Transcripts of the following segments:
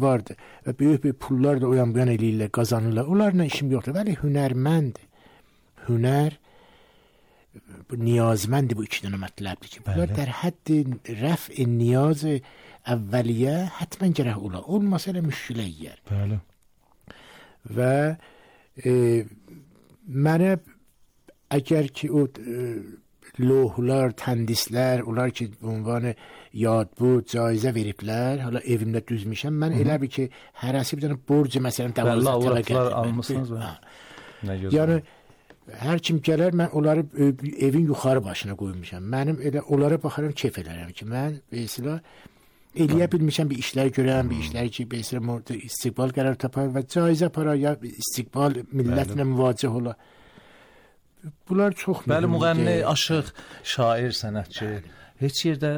vardı və böyük pullar da o yan bu yan eləyirlər, qazanırlar. Onlarla işim yoxdur. Vəli hünərmənd. Hünər niyazməndir bu iki dənə mətləbdir ki, bunlar در حد رفع نیاز اولیه حتما gərək ola. Olmasa elə müşkilə yiyər. Bəli. Və mənə əgər ki o lوحlar, təndislər, onlar ki ünvanı yad بود, cayizə veriblər, hala evimdə düzmüşəm, mən elə bir ki, hərəsi bir dənə borc məsələn davazlar almışsınız və? Yəni, hər kim gələr, mən onları evin yuxarı başına qoymuşam. Mənim elə onlara baxaram, keyf edərəm ki, mən mesela eləyə bilmişəm bir işlər görəm, bir işlər ki, mesela istiqbal qərar tapar və caizə para ya istiqbal millətlə müvacih ola. Bunlar çox mühümdür. Bəli, müğənni, aşıq, şair, sənətçi heç yerdə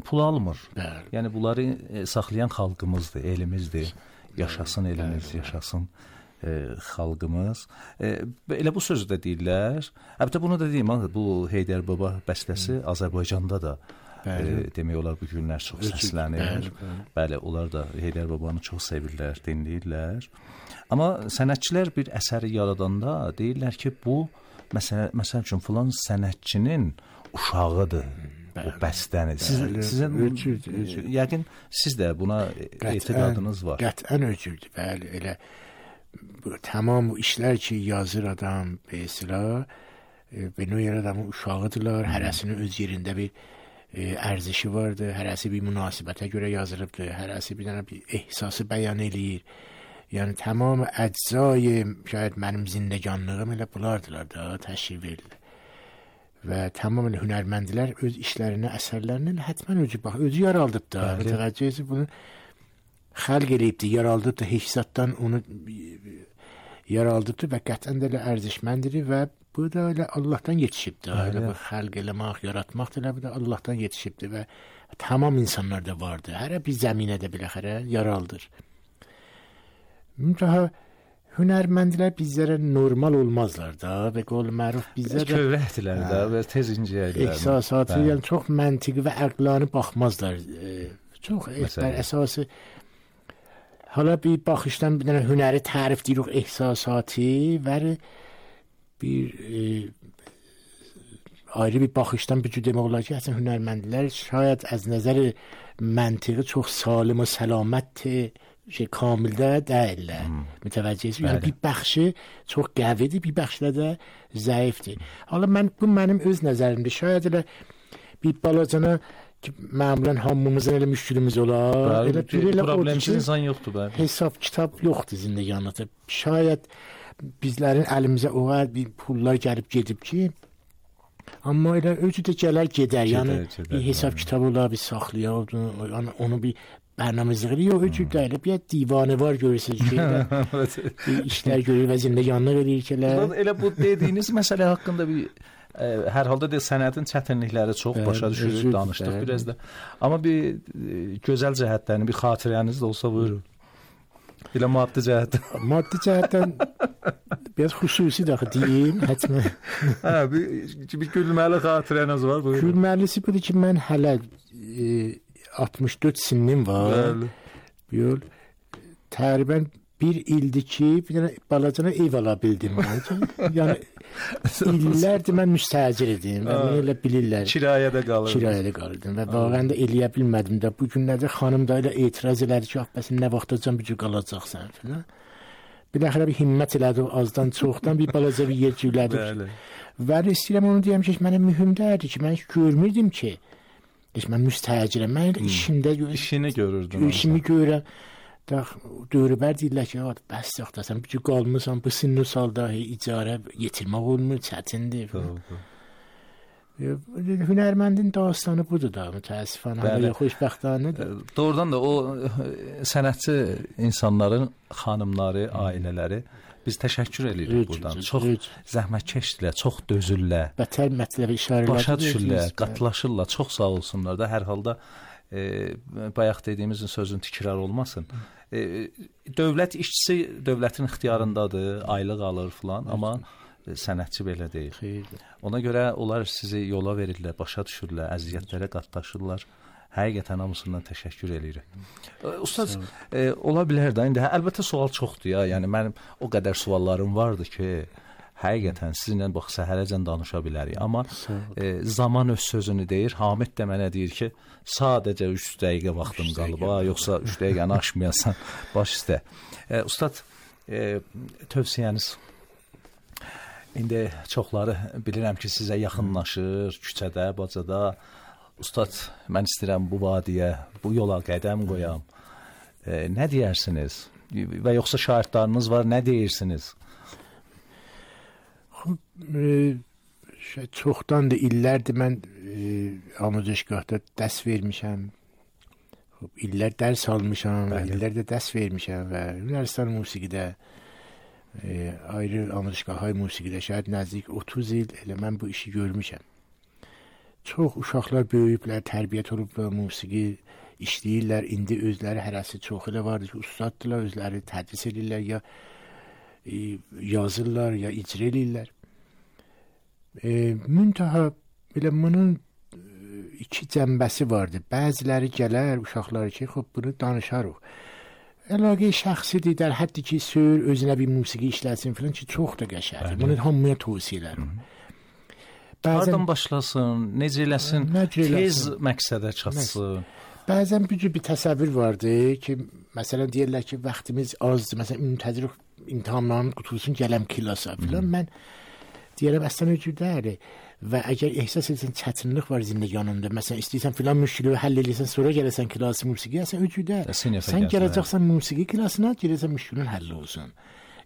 pul almır. Bəli. Yəni bunları saxlayan xalqımızdır, elimizdir. Yaşasın elimiz, yaşasın xalqımız. Elə bu sözü də deyirlər. Əlbəttə bunu da deyim, bu Heydər Baba bəstəsi Azərbaycanda da demək olar bu günlər çox səslənir. Bəli, onlar da Heydər Babanı çox sevirlər, dinləyirlər. Amma sənətçilər bir əsəri yaradanda deyirlər ki, bu məsəl üçün filan sənətçinin uşağıdır o bəstəni. Sizin yəqin siz də buna etiqadınız var. Qətən öcürdür. Bəli, elə tamam bu işlər ki yazır adam mesela benim adamın uşağıdırlar. Hərəsinin öz yerində bir ərzişi vardır. Hərəsi bir münasibətə görə yazılıbdır. Hərəsi bir dənə bir ehsası bəyan eləyir. Yəni tamam əczai şayad mənim zindəganlığım elə bunlardılar da təşkil verilir. Və tamamilə hünərməndlər öz işlərinə, əsərlərinə həttəmən özü yaraldıbdır da. Mütəvəccühsü bunu xəlq eləyibdir, yaraldıbdır, heç zatdan onu yaraldıbdır və qətən də elə ərzişməndir və bu da elə Allahdan yetişibdir. Elə bu xəlq eləmək, yaratmaq da elə bu da Allahdan yetişibdir və tamam insanlarda vardır. Hərə bir zəminədə biləxərə yaraldır. Daha hünərməndlər bizlərə normal olmazlar da və qol məruf bizlərə kövrəkdirlər də və tez incəyirlər. Ehsasatı, yəni çox məntiqi və əqlani baxmazlar. Çox əsası hala bir baxışdan bir dənə hünəri tərif deyirik, ehsasatı və bir ayrı bir baxışdan bir demək olar ki, əslən hünərməndlər şayad az nəzər məntiqi çox salim və səlamətdir. کامل ده متوجهی یعنی bir بخشی çox qəvidir, bir bəxşdə də zəifdir. Hala mənim öz nəzərimdə şayad elə bir balacana ki məmulən hamımızın elə müşkülümüz olar. Elə problemsiz insan yoxdur bəli. Hesab kitab yoxdur zindəganlıqda. Şayad bizlərin əlimizə o qədər bir pullar gəlib gedib ki, amma elə özü də gələr gedər. Yəni bir hesab kitabı olar, bir saxlayar, onu bir برنامه‌ریزی یا وجود داره بیاد دیوانه var görürsünüz ki işlər görür və zindəganlıq eləyir ki elə bu dediyiniz məsələ haqqında bir hər halda da sənətin çətinlikləri çox başa düşürük, danışdıq biraz da. Amma bir gözəl cəhətlərini, bir xatirəniz də olsa buyurun. Elə maddi cəhətdən. Maddi cəhətdən biraz xüsusi də deyim, həttəmən. Hə, bir gülməli xatirəniz var, buyurun. Gülməlisi budur ki, mən hələ 64 sinnim var. Bəli. Yol təqribən bir ildir ki, bir dənə balacana ev ala bildim. Yəni illərdir mən müstəcir idim. Bunu elə bilirlər. Kirayədə qalırdım və vaqəən də eləyə bilmədim də. Bu günlərdə xanım da elə etiraz elədi ki, bəs nə vaxtacan bu cür qalacaqsan filan. Biləxərə bir himmət elədi azdan çoxdan bir balaca bir yer cülədi. Və istəyirəm onu deyəm ki, mənə mühümdərdir ki, mən heç görmürdüm ki, mən müstəcirəm. Mən işini görürdüm. İşimi görürəm. Dövrəbər deyirlər ki, bəs yaxdasan, bir qalmısan, bu sinni salda icarə yetirmək olmur, çətindir. Hünərməndin dastanı budur da, mütəəssifənə, xoşbəxtənədir. Doğrudan da o sənətçi insanların xanımları, ailələri biz təşəkkür edirik buradan. Çox zəhmətkeşdirlər, çox dözürlər. Bətər mətləbi işarələr başa düşürlər, qatlaşırlar. Çox sağ olsunlar da. Hər halda bayaq dediyimizin sözün təkrar olmasın. Dövlət işçisi dövlətin ixtiyarındadır, aylıq alır filan, amma sənətçi belə deyil. Ona görə onlar sizi yola verirlər, başa düşürlər, əziyyətlərə qatlaşırlar. Həqiqətən hamısından təşəkkür eləyirəm. Ustad, ola bilər də indi əlbəttə sual çoxdur ya. Yəni mənim o qədər suallarım vardı ki, həqiqətən sizinlə bax səhərəcən danışa bilərik. Amma zaman öz sözünü deyir. Hamid də mənə deyir ki, sadəcə 3 dəqiqə vaxtım qalıb. Yoxsa 3 dəqiqəni aşmayasan, baş üstə. Ustad, tövsiyəniz indi çoxları bilirəm ki, sizə yaxınlaşır, küçədə, bacada. Ustad, mən istəyirəm bu vadiyə, bu yola qədəm qoyam. Nə deyərsiniz? Və yoxsa şairtlarınız var, nə deyirsiniz? Çoxdandır, illərdir mən amuzişgahda dərs vermişəm. İllər dərs almışam və illərdə dərs vermişəm və Yunanistan musiqidə, ayrı amuzişgahhay musiqidə şayad nəzdik 30 il elə mən bu işi görmüşəm. Çox uşaqlar böyüyüblər, tərbiyyət olublar, musiqi işləyirlər. İndi özləri hərəsi çox elə vardır ki, ustaddılar, özləri tədris edirlər, ya yazırlar, ya icra edirlər. Müntaha belə bunun iki cəmbəsi vardır. Bəziləri gələr uşaqlar ki, xub bunu danışarıq. Əlaqə şəxsidir, در حدی ki, sür özünə bir musiqi işləsin filan ki, çox da qəşəngdir. Bunu hamıya tövsiyə edirəm. Hardan başlasın, necə eləsin, tez məqsədə çatsın. Bəzən bir təsəvvür vardı ki, məsələn deyirlər ki, vaxtımız azdır, məsələn müntəzir imtahanlarımız qutulsun, gələm kilasa filan. Mən deyirəm, əslən öcüdədir və əgər ehsas etsən çətinlik var zindeganında, məsələn istəyirsən filan müşkili həll edirsən, sonra gəlirsən kilası musiqi, əslən öcüdər. Sən gələcəksən musiqi kilasına, gəlirsən müşkilin həll olsun.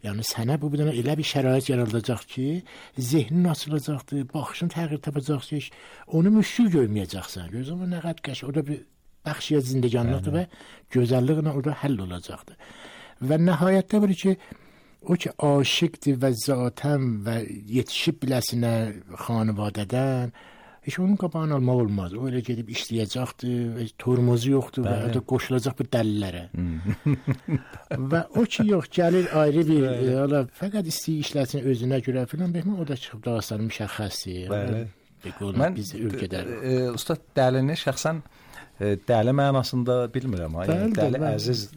Yəni sənə bu bir dənə elə bir şərait yaradılacaq ki, zehnin açılacaqdır, baxışın təğyir tapacaq ki, onu müşkil görməyəcəksən. Gözüm nə qədər qəşəng, o da bir bəxşiyə zindeganlıqdır və gözəlliklə orada həll olacaqdır. Və nəhayətdə bir ki, o ki aşıqdır və zatən və yetişib biləsinə xanivadədən, heç onun qabağını almaq olmaz. O elə gedib işləyəcəkdir, tormozu yoxdur və o da qoşulacaq bir dəlillərə. Və o ki yox, gəlir ayrı bir, fəqət istəyir işləsin özünə görə filan, o da çıxıb dağıstanın müşəxxəsdir. Mən Ustad dəlini şəxsən dəli mənasında bilmirəm. Dəli əziz.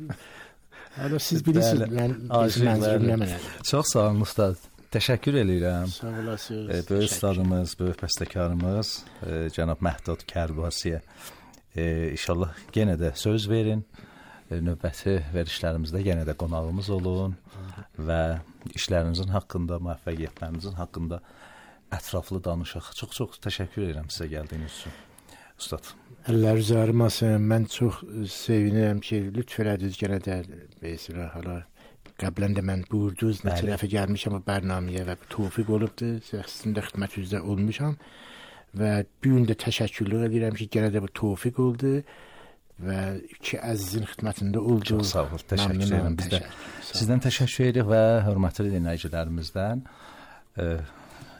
Siz bilirsiniz, mənzilimlə mənə. Çox sağ olun Ustad. Təşəkkür eləyirəm. Sağ olasınız. Böyük ustadımız, böyük bəstəkarımız cənab Məhdud Kərbasiyə. İnşallah yenə də söz verin. Növbəti verişlərimizdə yenə də qonağımız olun və işlərinizin haqqında, müvəffəqiyyətlərinizin haqqında ətraflı danışaq. Çox təşəkkür edirəm sizə gəldiyiniz üçün. Ustad. Əllər üzərimasın. Mən çox sevinirəm ki, lütf elədiniz yenə də belə hala qəblən də mən buyurdunuz, neçə dəfə gəlmişəm o bərnaməyə və tövfiq olubdur, sizin də xidmətinizdə olmuşam və bu gün də təşəkkürlər edirəm ki, yenə də bu tövfiq oldu və iki əzizin xidmətində oldu. Çox sağ olun, təşəkkür edirəm. Biz də sizdən təşəkkür edirik və hörmətli dinləyicilərimizdən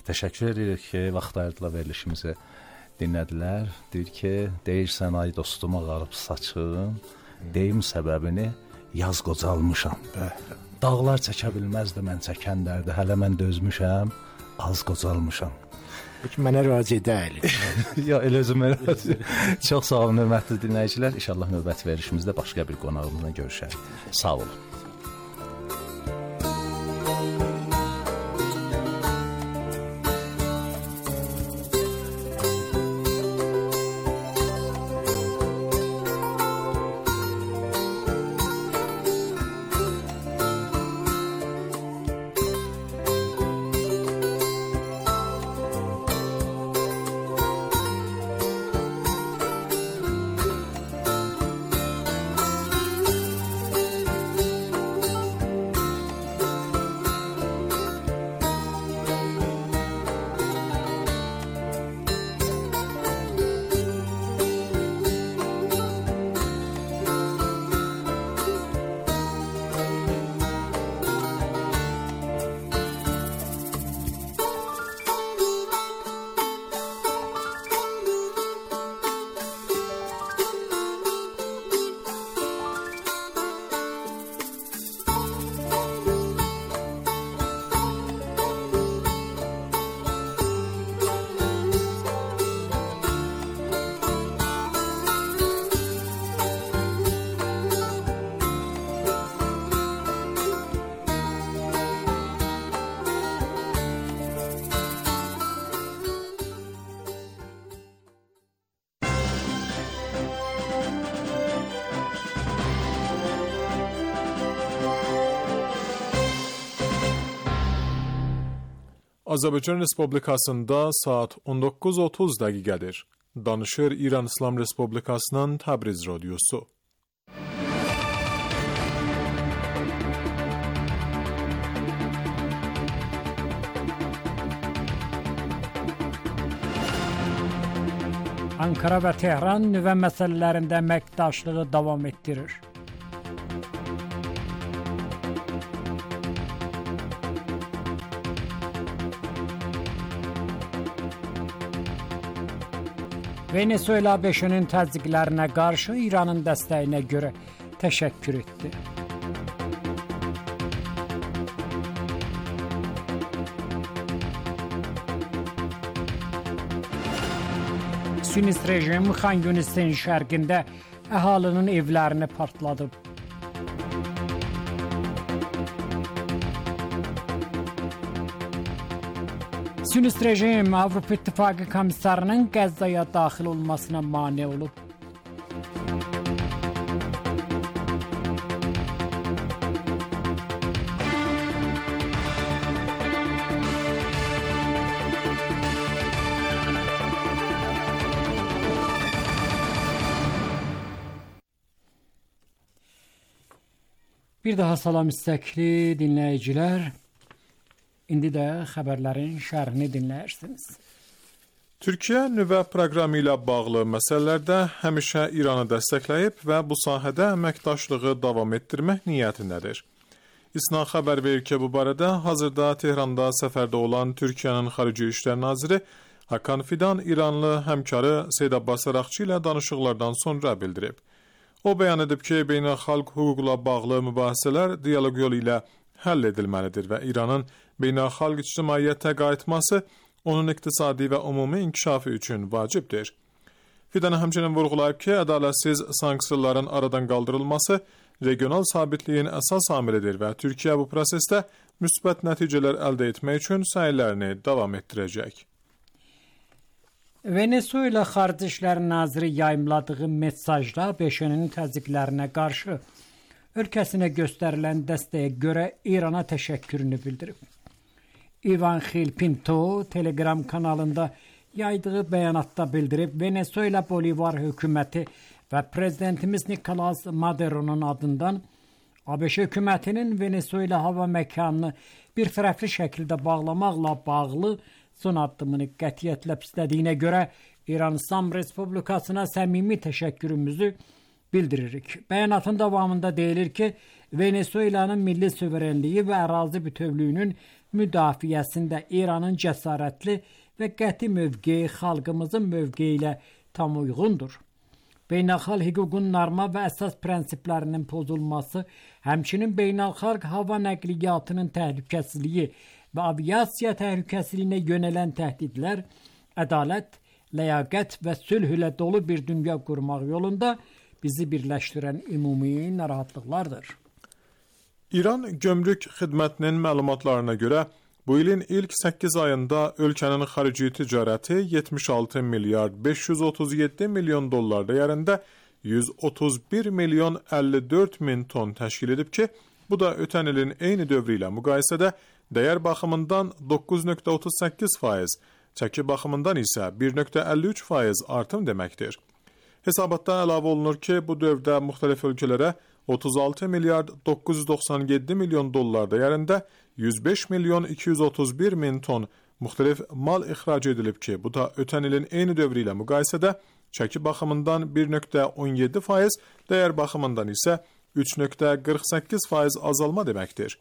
təşəkkür edirik ki, vaxt ayırdılar verilişimizi dinlədilər. Deyir ki, deyirsən ay dostum ağarıb saçın, deyim səbəbini yaz qocalmışam. Dağlar çəkə bilməzdi mən çəkən dərdi, hələ mən dözmüşəm, az qocalmışam. Mənə razı edəli. Ya, elə özümə razı. Çox sağ olun, hörmətli dinləyicilər. İnşallah növbəti verişimizdə başqa bir qonağımızla görüşərik. Sağ olun. Azərbaycan Respublikasında saat 19:30 dəqiqədir. Danışır İran İslam Respublikasının Təbriz radiosu. Ankara və Tehran nüvə məsələlərində əməkdaşlığı davam etdirir. Venezuela ABŞ-nin təzyiqlərinə qarşı İranın dəstəyinə görə təşəkkür etdi. Siyonist rejim Xan Yunis'in şərqində əhalinin evlərini partladıb. Siyonist rejim Avropa İttifaqı komissarının Qəzzaya daxil olmasına mane olub. Bir daha salam istəkli dinləyicilər. İndi də xəbərlərin şərhini dinləyirsiniz. Türkiyə nüvə proqramı ilə bağlı məsələlərdə həmişə İranı dəstəkləyib və bu sahədə əməkdaşlığı davam etdirmək niyyətindədir. İSNA xəbər verir ki, bu barədə hazırda Tehranda səfərdə olan Türkiyənin Xarici İşlər Naziri Hakan Fidan İranlı həmkarı Seyd Abbas Araqçı ilə danışıqlardan sonra bildirib. O bəyan edib ki, beynəlxalq hüquqla bağlı mübahisələr dialoq yolu ilə həll edilməlidir və İranın beynəlxalq ictimaiyyətə qayıtması onun iqtisadi və ümumi inkişafı üçün vacibdir. Fidan həmçinin vurğulayıb ki, ədalətsiz sanksiyaların aradan qaldırılması regional sabitliyin əsas amilidir və Türkiyə bu prosesdə müsbət nəticələr əldə etmək üçün səylərini davam etdirəcək. Venezuela Xarici İşlər Naziri yayımladığı mesajda ABŞ-nin təzyiqlərinə qarşı ölkəsinə göstərilən dəstəyə görə İrana təşəkkürünü bildirib. Ivan Xilpinto Telegram kanalında yaydığı bəyanatda bildirib, Venezuela Bolivar hökuməti və prezidentimiz Nicolas Maduro'nun adından ABŞ hökumətinin Venezuela hava məkanını bir tərəfli şəkildə bağlamaqla bağlı son addımını qətiyyətlə pislədiyinə görə İran İslam Respublikasına səmimi təşəkkürümüzü bildiririk. Bəyanatın davamında deyilir ki, Venezuelanın milli suverenliyi və ərazi bütövlüyünün müdafiəsində İranın cəsarətli və qəti mövqeyi xalqımızın mövqeyi ilə tam uyğundur. Beynəlxalq hüququn norma və əsas prinsiplərinin pozulması, həmçinin beynəlxalq hava nəqliyyatının təhlükəsizliyi və aviasiya təhlükəsizliyinə yönələn təhdidlər, ədalət, ləyaqət və sülh ilə dolu bir dünya qurmaq yolunda bizi birləşdirən ümumi narahatlıqlardır. İran Gömrük Xidmətinin məlumatlarına görə bu ilin ilk 8 ayında ölkənin xarici ticarəti 76 milyard 537 milyon dollar dəyərində 131 milyon 54 min ton təşkil edib ki, bu da ötən ilin eyni dövrü ilə müqayisədə dəyər baxımından 9,38%, çəki baxımından isə 1,53% artım deməkdir. Hesabatda əlavə olunur ki, bu dövrdə müxtəlif ölkələrə 36 milyard 997 milyon dollar dəyərində 105 milyon 231 min ton müxtəlif mal ixrac edilib ki, bu da ötən ilin eyni dövrü ilə müqayisədə çəki baxımından 1,17%, dəyər baxımından isə 3,48% azalma deməkdir.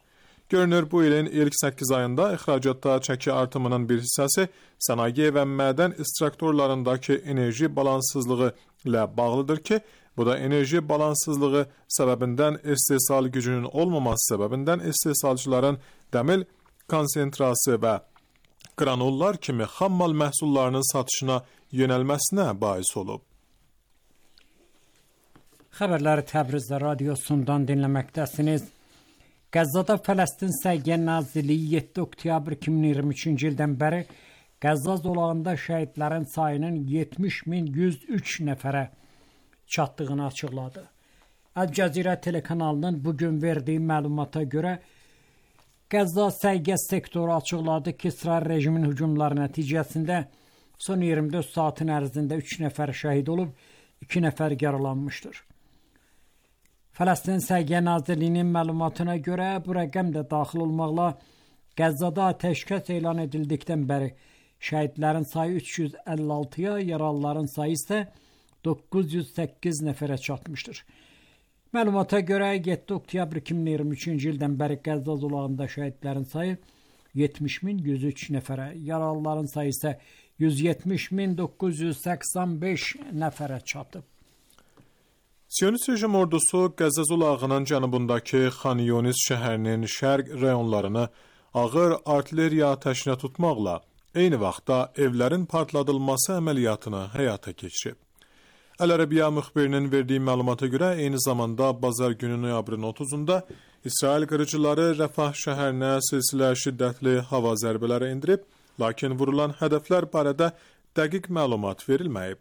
Görünür, bu ilin ilk 8 ayında ixracatda çəki artımının bir hissəsi sənaye və mədən ekstraktorlarındakı enerji balanssızlığı ilə bağlıdır ki, bu da enerji balanssızlığı səbəbindən istehsal gücünün olmaması səbəbindən istehsalçıların dəmir konsentrası və qranullar kimi xammal məhsullarının satışına yönəlməsinə bais olub. Xəbərləri Təbriz radiosundan dinləməkdəsiniz. Qəzzada Fələstin Səhiyyə Nazirliyi 7 oktyabr 2023-cü ildən bəri Qəzza zolağında şəhidlərin sayının 70.103 nəfərə çatdığını açıqladı. Əl Cəzirə telekanalının bugün verdiyi məlumata görə Qəzza Səhiyyə sektoru açıqladı ki, İsrail rejiminin hücumları nəticəsində son 24 saatin ərzində 3 nəfər şəhid olub, 2 nəfər yaralanmışdır. Fələstin Səhiyyə Nazirliyinin məlumatına görə bu rəqəm də daxil olmaqla Qəzzada atəşkəs elan edildikdən bəri şəhidlərin sayı 356-ya, yaralıların sayı isə 908 nəfərə çatmışdır. Məlumata görə 7 oktyabr 2023-cü ildən bəri Qəzza zolağında şəhidlərin sayı 70.103 nəfərə, yaralıların sayı isə 170.985 nəfərə çatıb. Siyonist rejim ordusu Qəzza zolağının cənubundakı Xan Yunis şəhərinin şərq rayonlarını ağır artilleriya atəşinə tutmaqla eyni vaxtda evlərin partladılması əməliyyatını həyata keçirib. Əl-Ərəbiyyə müxbirinin verdiyi məlumata görə eyni zamanda bazar günü noyabrın 30-da İsrail qırıcıları Rəfah şəhərinə silsilə şiddətli hava zərbələri endirib, lakin vurulan hədəflər barədə dəqiq məlumat verilməyib.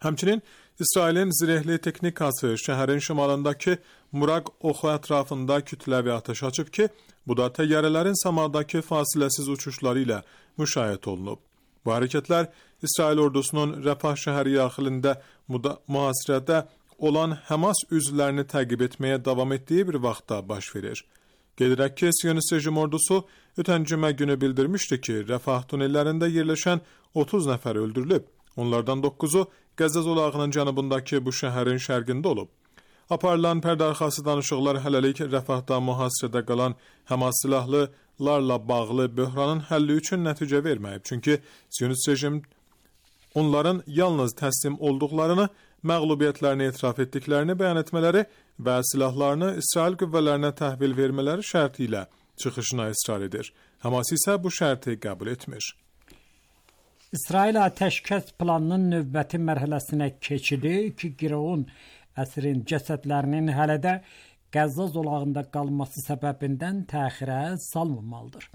Həmçinin İsrailin zirehli texnikası şəhərin şimalındakı Muraq oxu ətrafında kütləvi atəş açıb ki, bu da təyyarələrin səmadakı fasiləsiz uçuşları ilə müşahidə olunub. Bu hərəkətlər İsrail ordusunun Rəfah şəhəri yaxınlığında mühasirədə olan Həmas üzvlərini təqib etməyə davam etdiyi bir vaxtda baş verir. Qeyd edək ki, Siyonist rejim ordusu ötən cümə günü bildirmişdi ki, Rəfah tunellərində yerləşən 30 nəfər öldürülüb. Onlardan 9-u Qəzza zolağının cənubundakı bu şəhərin şərqində olub. Aparılan pərdəarxası danışıqlar hələlik Rəfahda mühasirədə qalan Həmas silahlılarla bağlı böhranın həlli üçün nəticə verməyib. Çünki Siyonist rejim onların yalnız təslim olduqlarını, məğlubiyyətlərini etiraf etdiklərini bəyan etmələri və silahlarını İsrail qüvvələrinə təhvil vermələri şərti ilə çıxışına israr edir. Həmas isə bu şərti qəbul etmir. İsrail atəşkəs planının növbəti mərhələsinə keçidi, 2 girovun əsrin cəsədlərinin hələ də Qəzza zolağında qalması səbəbindən təxirə salınmalıdır.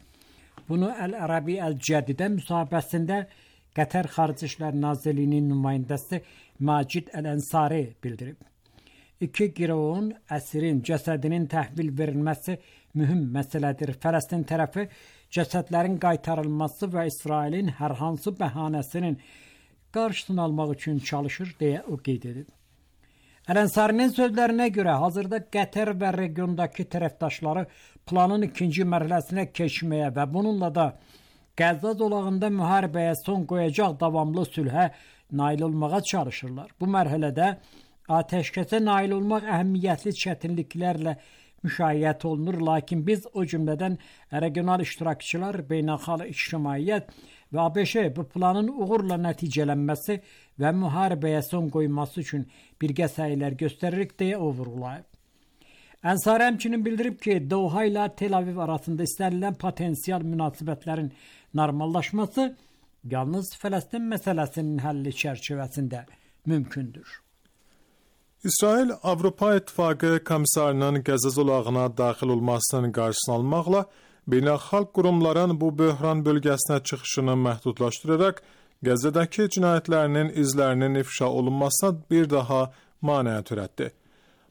Bunu Əl-Ərəbi Əl-Cədidə müsahibəsində Qətər Xarici İşlər Nazirliyinin nümayəndəsi Macid Əl-Ənsari bildirib. 2 girovun əsrin cəsədinin təhvil verilməsi mühüm məsələdir. Fələstin tərəfi cəsədlərin qaytarılması və İsrailin hər hansı bəhanəsinin qarşısını almaq üçün çalışır, deyə o qeyd edib. Əl-Ənsarinin sözlərinə görə hazırda Qətər və regiondakı tərəfdaşları planın 2-ci mərhələsinə keçməyə və bununla da Qəzza zolağında müharibəyə son qoyacaq davamlı sülhə nail olmağa çalışırlar. Bu mərhələdə atəşkəsə nail olmaq əhəmiyyətli çətinliklərlə müşayiət olunur, lakin biz o cümlədən regional iştirakçılar, beynəlxalq ictimaiyyət və ABŞ bu planın uğurla nəticələnməsi və müharibəyə son qoyması üçün birgə səylər göstəririk, deyə o vurğulayıb. Ənsari həmçinin bildirib ki, Doha ilə Tel Aviv arasında istənilən potensial münasibətlərin normallaşması yalnız Fələstin məsələsinin həlli çərçivəsində mümkündür. İsrail Avropa İttifaqı komissarının Qəzza zolağına daxil olmasının qarşısını almaqla beynəlxalq qurumların bu böhran bölgəsinə çıxışını məhdudlaşdıraraq Qəzzadakı cinayətlərinin izlərinin ifşa olunmasına bir daha maneə törətdi.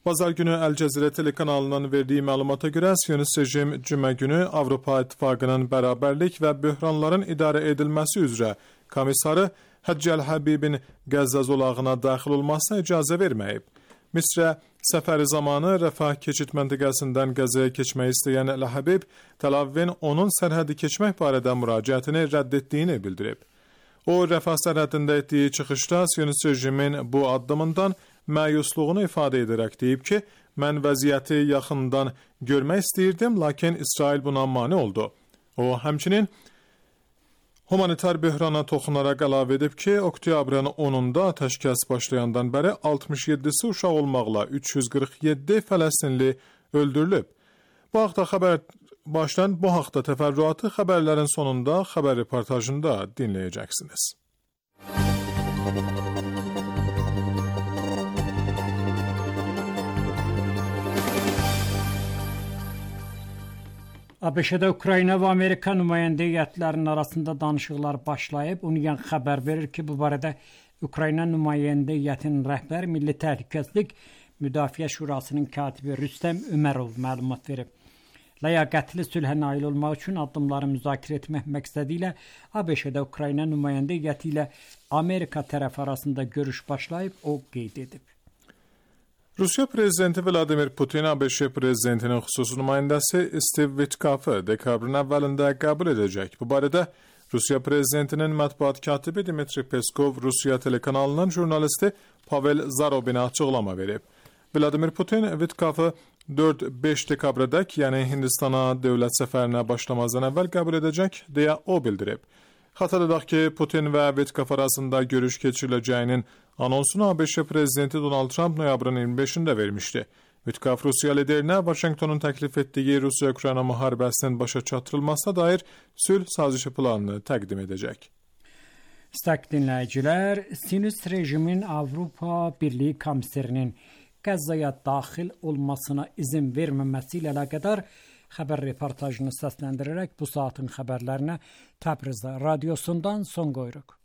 Bazar günü Əl-Cəzirə telekanalından verdiyi məlumata görə Siyonist rejim cümə günü Avropa İttifaqının bərabərlik və böhranların idarə edilməsi üzrə komissarı Həccəl Həbibin Qəzza zolağına daxil olmasına icazə verməyib. Misrə səfəri zamanı Rəfah keçid məntəqəsindən Qəzzaya keçmək istəyən Əl-Həbib Tel Avivin onun sərhədi keçmək barədə müraciətini rədd etdiyini bildirib. O, Rəfah sərhədində etdiyi çıxışda Siyonist rejimin bu addımından məyusluğunu ifadə edərək deyib ki, mən vəziyyəti yaxından görmək istəyirdim, lakin İsrail buna mane oldu. O, həmçinin humanitar böhrana toxunaraq əlavə edib ki, oktyabrın 10-da atəşkəs başlayandan bəri 67-si uşaq olmaqla 347 Fələstinli öldürülüb. Bu haqda təfərrüatı xəbərlərin sonunda xəbər reportajında dinləyəcəksiniz. ABŞ-də Ukrayna və Amerika nümayəndə heyətlərinin arasında danışıqlar başlayıb. UNIAN xəbər verir ki, bu barədə Ukrayna nümayəndə heyətinin rəhbəri Milli Təhlükəsizlik Müdafiə Şurasının katibi Rüstəm Ömərov məlumat verib. ləyaqətli sülhə nail olmaq üçün addımları müzakirə etmək məqsədi ilə ABŞ-də Ukrayna nümayəndə heyəti ilə Amerika tərəfi arasında görüş başlayıb, o qeyd edib. Rusiya prezidenti Vladimir Putin ABŞ prezidentinin xüsusi nümayəndəsi Steve Witkoff'ı dekabrın əvvəlində qəbul edəcək. Bu barədə Rusiya prezidentinin mətbuat katibi Dmitri Peskov Rusiya telekanalının jurnalisti Pavel Zarobinə açıqlama verib. Vladimir Putin Witkoff'ı 4-5 dekabrədək, yəni Hindistana dövlət səfərinə başlamazdan əvvəl qəbul edəcək, deyə o bildirib. Xatırladaq ki, Putin və Witkoff arasında görüş keçiriləcəyinin anonsunu ABŞ prezidenti Donald Trump noyabrın 25-də vermişdi. Witkoff Rusiya liderinə Vaşinqtonun təklif etdiyi Rusiya-Ukrayna müharibəsinin başa çatdırılmasına dair sülh sazişi planını təqdim edəcək. Sayın dinləyicilər, Siyonist rejimin Avropa Birliyi komissarının Qəzzaya daxil olmasına izin verməməsi ilə əlaqədar xəbər reportajını səsləndirərək bu saatın xəbərlərinə Təbriz radiosundan son qoyuruq.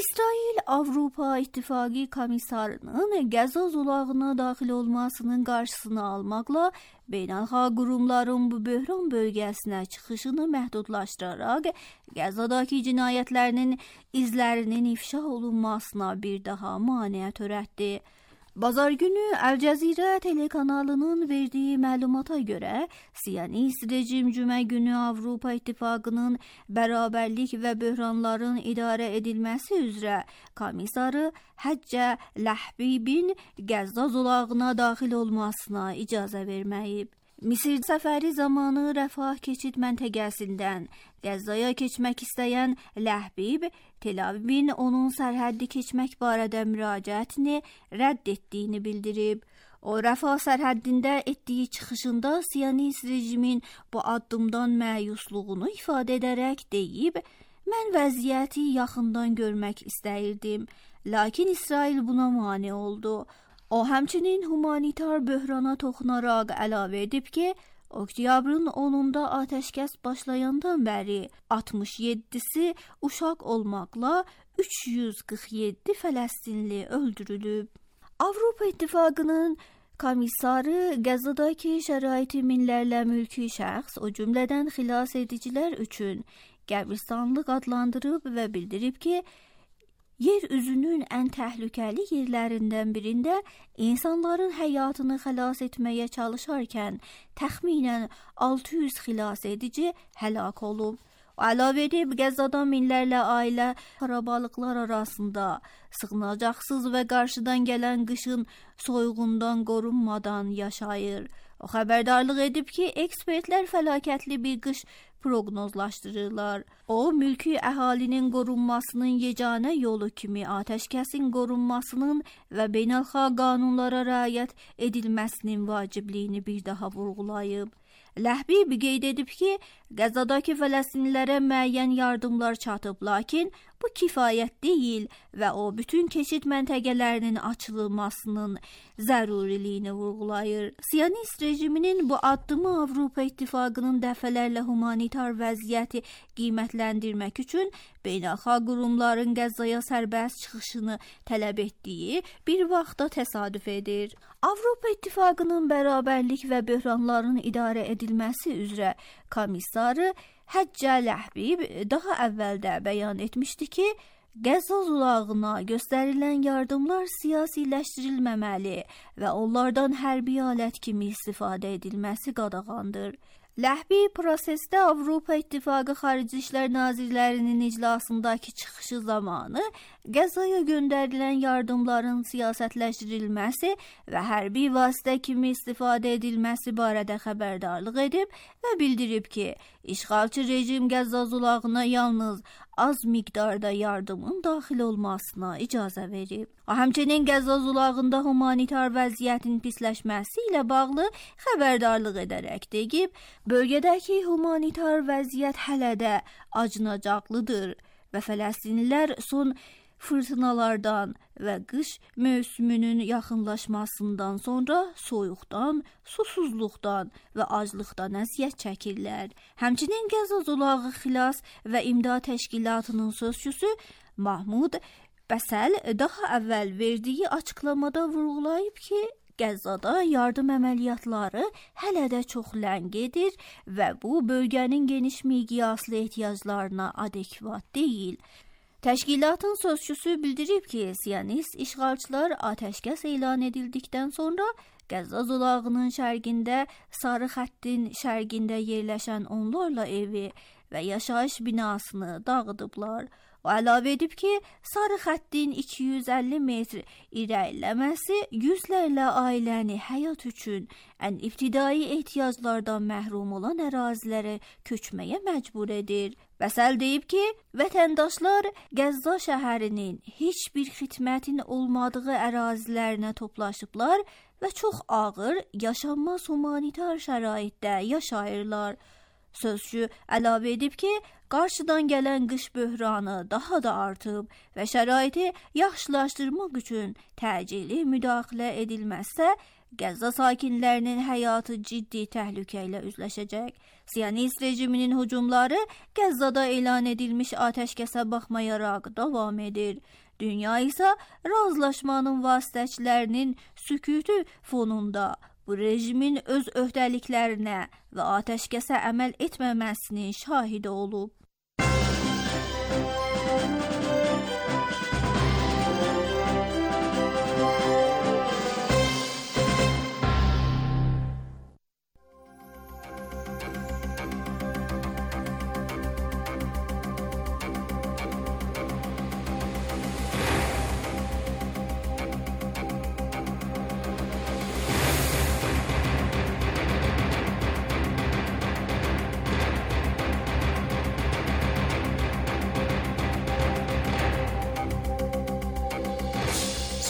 İsrail Avropa İttifaqı komissarının Qəzza zolağına daxil olmasının qarşısını almaqla beynəlxalq qurumların bu böhran bölgəsinə çıxışını məhdudlaşdıraraq Qəzzadakı cinayətlərinin izlərinin ifşa olunmasına bir daha maneə törətdi. Bazar günü Əl Cəzirə telekanalının verdiyi məlumata görə Siyonist rejim cümə günü Avropa İttifaqının bərabərlik və böhranların idarə edilməsi üzrə komissarı Həccə Ləhbibin Qəzza zolağına daxil olmasına icazə verməyib. Misir səfəri zamanı Rəfah keçid məntəqəsindən Qəzzaya keçmək istəyən Ləhbib, Tel Avivin onun sərhəddi keçmək barədə müraciətini rədd etdiyini bildirib. O, Rəfah sərhəddində etdiyi çıxışında Siyonist rejimin bu addımdan məyusluğunu ifadə edərək deyib, mən vəziyyəti yaxından görmək istəyirdim, lakin İsrail buna mane oldu. O, həmçinin humanitar böhrana toxunaraq əlavə edib ki, Oktyabrın 10-da atəşkəs başlayandan bəri 67-si uşaq olmaqla 347 Fələstinli öldürülüb. Avropa İttifaqının komissarı Qəzzadakı şəraiti minlərlə mülki şəxs, o cümlədən xilas edicilər üçün qəbristanlıq adlandırıb və bildirib ki, yer üzünün ən təhlükəli yerlərindən birində insanların həyatını xilas etməyə çalışarkən təxminən 600 xilas edici həlak olub. Əlavə edib, Qəzzadan minlərlə ailə xarabalıqlar arasında sığınacaqsız və qarşıdan gələn qışın soyuğundan qorunmadan yaşayır. O xəbərdarlıq edib ki, ekspertlər fəlakətli bir qış proqnozlaşdırırlar. O, mülki əhalinin qorunmasının yeganə yolu kimi atəşkəsin qorunmasının və beynəlxalq qanunlara riayət edilməsinin vacibliyini bir daha vurğulayıb. Ləhbib qeyd edib ki, Qəzzadakı Fələstinlilərə müəyyən yardımlar çatıb, lakin bu kifayət deyil və o, bütün keçid məntəqələrinin açılmasının zəruriliyini vurğulayır. Siyonist rejiminin bu addımı Avropa İttifaqının dəfələrlə humanitar vəziyyəti qiymətləndirmək üçün beynəlxalq qurumların Qəzzaya sərbəst çıxışını tələb etdiyi bir vaxtda təsadüf edir. Avropa İttifaqının bərabərlik və böhranların idarə edilməsi üzrə komissarı Həccə Ləhbib daha əvvəldə bəyan etmişdi ki, Qəzza zolağına göstərilən yardımlar siyasiləşdirilməməli və onlardan hərbi alət kimi istifadə edilməsi qadağandır. Ləhbib prosesdə Avropa İttifaqı Xarici İşlər Nazirlərinin iclasındakı çıxışı zamanı Qəzzaya göndərilən yardımların siyasətləşdirilməsi və hərbi vasitə kimi istifadə edilməsi barədə xəbərdarlıq edib və bildirib ki, işğalçı rejim Qəzza zolağına yalnız az miqdarda yardımın daxil olmasına icazə verib. O, həmçinin Qəzza zolağında humanitar vəziyyətin pisləşməsi ilə bağlı xəbərdarlıq edərək deyib, bölgədəki humanitar vəziyyət hələ də acınacaqlıdır və Fələstinlilər son fırtınalardan və qış mövsümünün yaxınlaşmasından sonra soyuqdan, susuzluqdan və aclıqdan əziyyət çəkirlər. Həmçinin Qəzza zolağı xilas və imdad təşkilatının sözçüsü Mahmud Bəsəl daha əvvəl verdiyi açıqlamada vurğulayıb ki, Qəzzada yardım əməliyyatları hələ də çox ləng gedir və bu bölgənin geniş miqyaslı ehtiyaclarına adekvat deyil. Təşkilatın sözçüsü bildirib ki, Siyonist işğalçılar atəşkəs elan edildikdən sonra Qəzza zolağının şərqində, sarı xəttin şərqində yerləşən onlarla evi və yaşayış binasını dağıdıblar. O əlavə edib ki, sarı xəttin 250 metr irəliləməsi yüzlərlə ailəni həyat üçün ən ibtidai ehtiyaclardan məhrum olan ərazilərə köçməyə məcbur edir. Vəsəl deyib ki, vətəndaşlar Qəzza şəhərinin heç bir xidmətin olmadığı ərazilərinə toplaşıblar və çox ağır, yaşanmaz humanitar şəraitdə yaşayırlar. Sözcü əlavə edib ki, qarşıdan gələn qış böhranı daha da artıb və şəraiti yaxşılaşdırmaq üçün təcili müdaxilə edilməzsə, Qəzza sakinlərinin həyatı ciddi təhlükə ilə üzləşəcək. Siyonist rejiminin hücumları Qəzzada elan edilmiş atəşkəsə baxmayaraq davam edir. Dünya isə razılaşmanın vasitəçilərinin sükutu fonunda bu rejimin öz öhdəliklərinə və atəşkəsə əməl etməməsinin şahidi olub.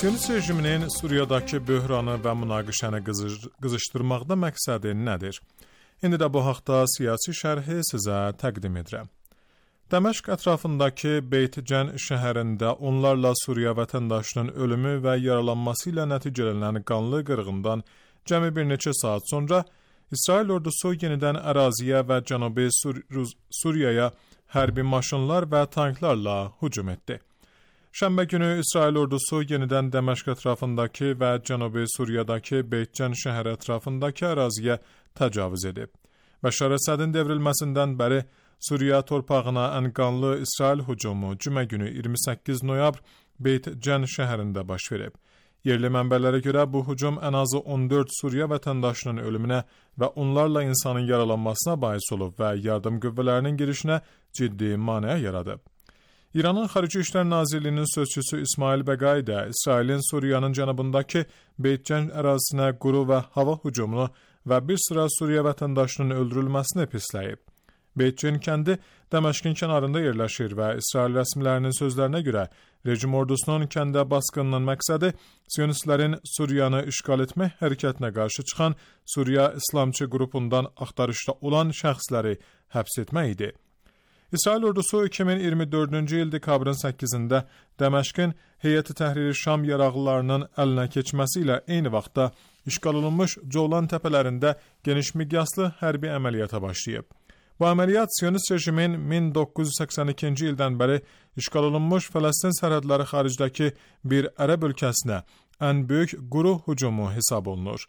Siyonist rejiminin Suriyadakı böhranı və münaqişəni qızışdırmaqda məqsədi nədir? İndi də bu haqda siyasi şərhi sizə təqdim edirəm. Dəməşq ətrafındakı Beyt-Cən şəhərində onlarla Suriya vətəndaşının ölümü və yaralanması ilə nəticələnən qanlı qırğından cəmi bir neçə saat sonra İsrail ordusu yenidən əraziyə və Cənubi Suriyaya hərbi maşınlar və tanklarla hücum etdi. Şənbə günü İsrail ordusu yenidən Dəməşq ətrafındakı və Cənubi Suriyadakı Beyt-Cən şəhəri ətrafındakı əraziyə təcavüz edib. Bəşar Əsədin devrilməsindən bəri Suriya torpağına ən qanlı İsrail hücumu cümə günü 28 noyabr Beyt-Cən şəhərində baş verib. Yerli mənbələrə görə bu hücum ən azı 14 Suriya vətəndaşının ölümünə və onlarla insanın yaralanmasına bais olub və yardım qüvvələrinin girişinə ciddi maneə yaradıb. İranın Xarici İşlər Nazirliyinin sözçüsü İsmail Bəqai də İsrailin Suriyanın cənubundakı Beyt-Cən ərazisinə quru və hava hücumunu və bir sıra Suriya vətəndaşının öldürülməsini pisləyib. Beyt-Cən kəndi Dəməşqin kənarında yerləşir və İsrail rəsmilərinin sözlərinə görə rejim ordusunun kəndə basqınının məqsədi Siyonistlərin Suriyanı işğal etmək hərəkətinə qarşı çıxan Suriya İslamçı qrupundan axtarışda olan şəxsləri həbs etmək idi. İsrail ordusu 2024-cü il dekabrın 8-də Dəməşqin Heyəti Təhriri Şam yaraqlılarının əlinə keçməsi ilə eyni vaxtda işğal olunmuş Colan təpələrində geniş miqyaslı hərbi əməliyyata başlayıb. Bu əməliyyat Siyonist rejimin 1982-ci ildən bəri işğal olunmuş Fələstin sərhədləri xaricdəki bir ərəb ölkəsinə ən böyük quru hücumu hesab olunur.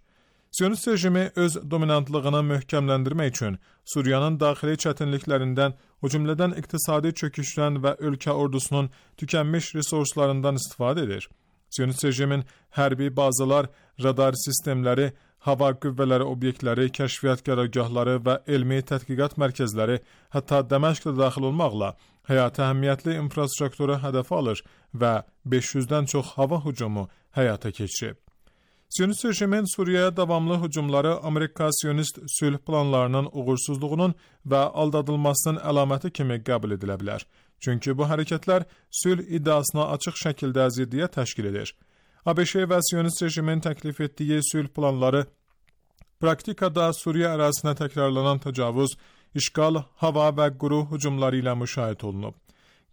Siyonist rejimi öz dominantlığını möhkəmləndirmək üçün Suriyanın daxili çətinliklərindən, o cümlədən iqtisadi çöküşdən və ölkə ordusunun tükənmiş resurslarından istifadə edir. Siyonist rejimin hərbi bazalar, radar sistemləri, hava qüvvələri obyektləri, kəşfiyyat qərargahları və elmi tədqiqat mərkəzləri, hətta Dəməşqdə daxil olmaqla həyati əhəmiyyətli infrastrukturu hədəfə alır və 500-dən çox hava hücumu həyata keçirib. Siyonist rejimin Suriyaya davamlı hücumları Amerika Siyonist sülh planlarının uğursuzluğunun və aldadılmasının əlaməti kimi qəbul edilə bilər. Çünki bu hərəkətlər sülh iddiasına açıq şəkildə ziddiyyət təşkil edir. ABŞ və Siyonist rejimin təklif etdiyi sülh planları praktikada Suriya ərazisinə təkrarlanan təcavüz, işğal, hava və quru hücumları ilə müşahidə olunub.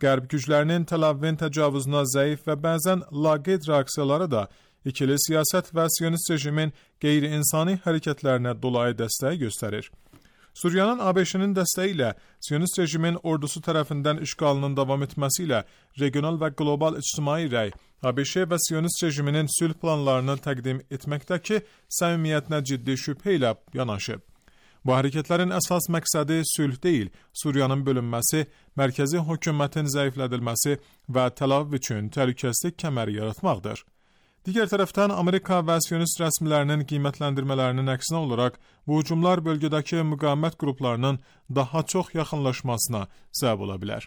Qərb güclərinin Tel Avivin təcavüzünə zəif və bəzən laqeyd reaksiyaları da ikili siyasət və Siyonist rejimin qeyri-insani hərəkətlərinə dolayı dəstək göstərir. Suriyanın ABŞ-nin dəstəyi ilə Siyonist rejimin ordusu tərəfindən işğalının davam etməsi ilə regional və qlobal ictimai rəy ABŞ və Siyonist rejiminin sülh planlarını təqdim etməkdəki səmimiyyətinə ciddi şübhə ilə yanaşıb. Bu hərəkətlərin əsas məqsədi sülh deyil, Suriyanın bölünməsi, mərkəzi hökumətin zəiflədilməsi və Tel Aviv üçün təhlükəsizlik kəməri yaratmaqdır. Digər tərəfdən Amerika və Siyonist rəsmilərinin qiymətləndirmələrinin əksinə olaraq bu hücumlar bölgədəki müqavimət qruplarının daha çox yaxınlaşmasına səbəb ola bilər.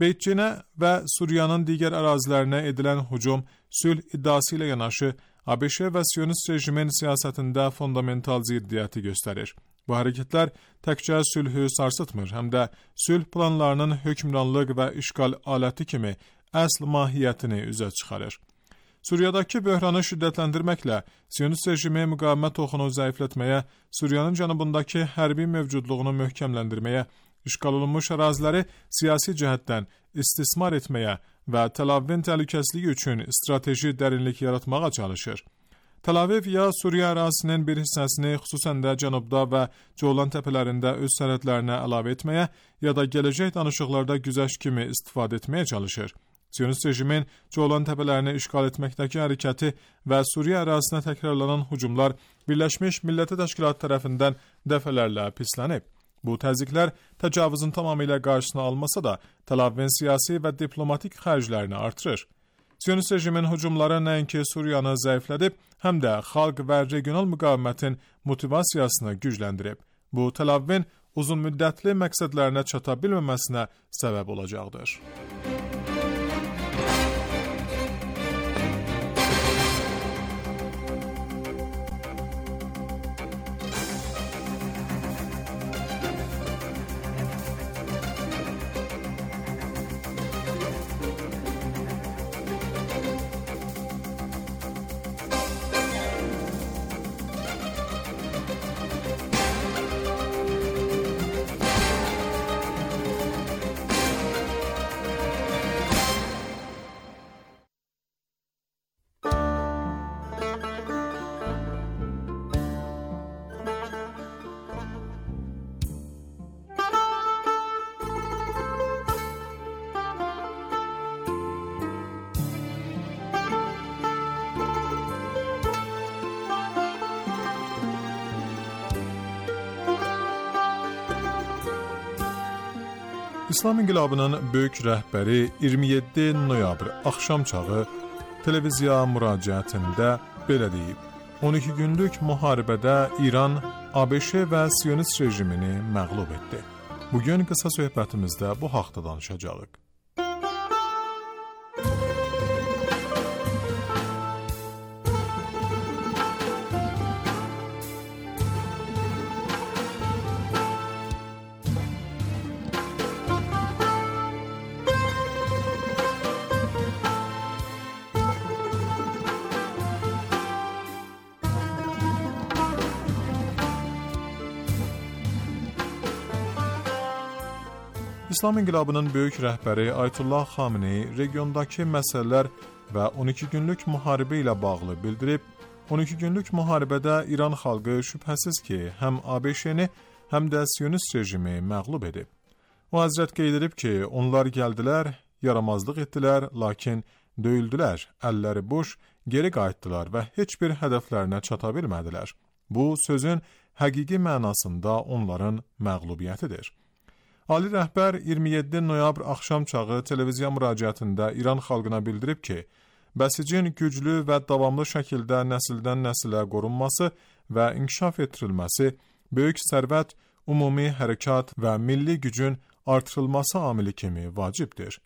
Beytçinə və Suriyanın digər ərazilərinə edilən hücum sülh iddiası ilə yanaşı ABŞ və Siyonist rejimin siyasətində fundamental ziddiyyəti göstərir. Bu hərəkətlər təkcə sülhü sarsıtmır, həm də sülh planlarının hökmranlıq və işğal aləti kimi əsl mahiyyətini üzə çıxarır. Suriyadakı böhranı şiddətləndirməklə Siyonist rejimi müqavimət oxunu zəiflətməyə, Suriyanın cənubundakı hərbi mövcudluğunu möhkəmləndirməyə, işğal olunmuş əraziləri siyasi cəhətdən istismar etməyə və Tel Avivin təhlükəsizliyi üçün strateji dərinlik yaratmağa çalışır. Tel Aviv ya Suriya ərazisinin bir hissəsini xüsusən də cənubda və Colan təpələrində öz sərhədlərinə əlavə etməyə ya da gələcək danışıqlarda güzəşt kimi istifadə etməyə çalışır. Siyonist rejimin Colan təpələrini işğal etməkdəki hərəkəti və Suriya ərazisinə təkrarlanan hücumlar Birləşmiş Millətlər Təşkilatı tərəfindən dəfələrlə pislənib. Bu təzyiqlər təcavüzün tamamilə qarşısını almasa da Tel Avivin siyasi və diplomatik xərclərini artırır. Siyonist rejimin hücumları nəinki Suriyanı zəiflədib, həm də xalq və regional müqavimətin motivasiyasını gücləndirib. Bu, Tel Avivin uzun müddətli məqsədlərinə çata bilməməsinə səbəb olacaqdır. İslam İnqilabının böyük rəhbəri 27 noyabr axşam çağı televiziya müraciətində belə deyib: 12 günlük müharibədə İran, ABŞ və Siyonist rejimini məğlub etdi. Bugün qısa söhbətimizdə bu haqda danışacağıq. İslam İnqilabının böyük rəhbəri Ayətullah Xameneyi regiondakı məsələlər və 12 günlük müharibə ilə bağlı bildirib, 12 günlük müharibədə İran xalqı şübhəsiz ki, həm ABŞ-ni, həm də Siyonist rejimi məğlub edib. O həzrət qeyd edib ki, onlar gəldilər, yaramazlıq etdilər, lakin döyüldülər, əlləri boş, geri qayıtdılar və heç bir hədəflərinə çata bilmədilər. Bu, sözün həqiqi mənasında onların məğlubiyyətidir. Ali rəhbər 27 noyabr axşam çağı televiziya müraciətində İran xalqına bildirib ki, bəsicin güclü və davamlı şəkildə nəsildən nəsilə qorunması və inkişaf etdirilməsi, böyük sərvət, ümumi hərəkat və milli gücün artırılması amili kimi vacibdir.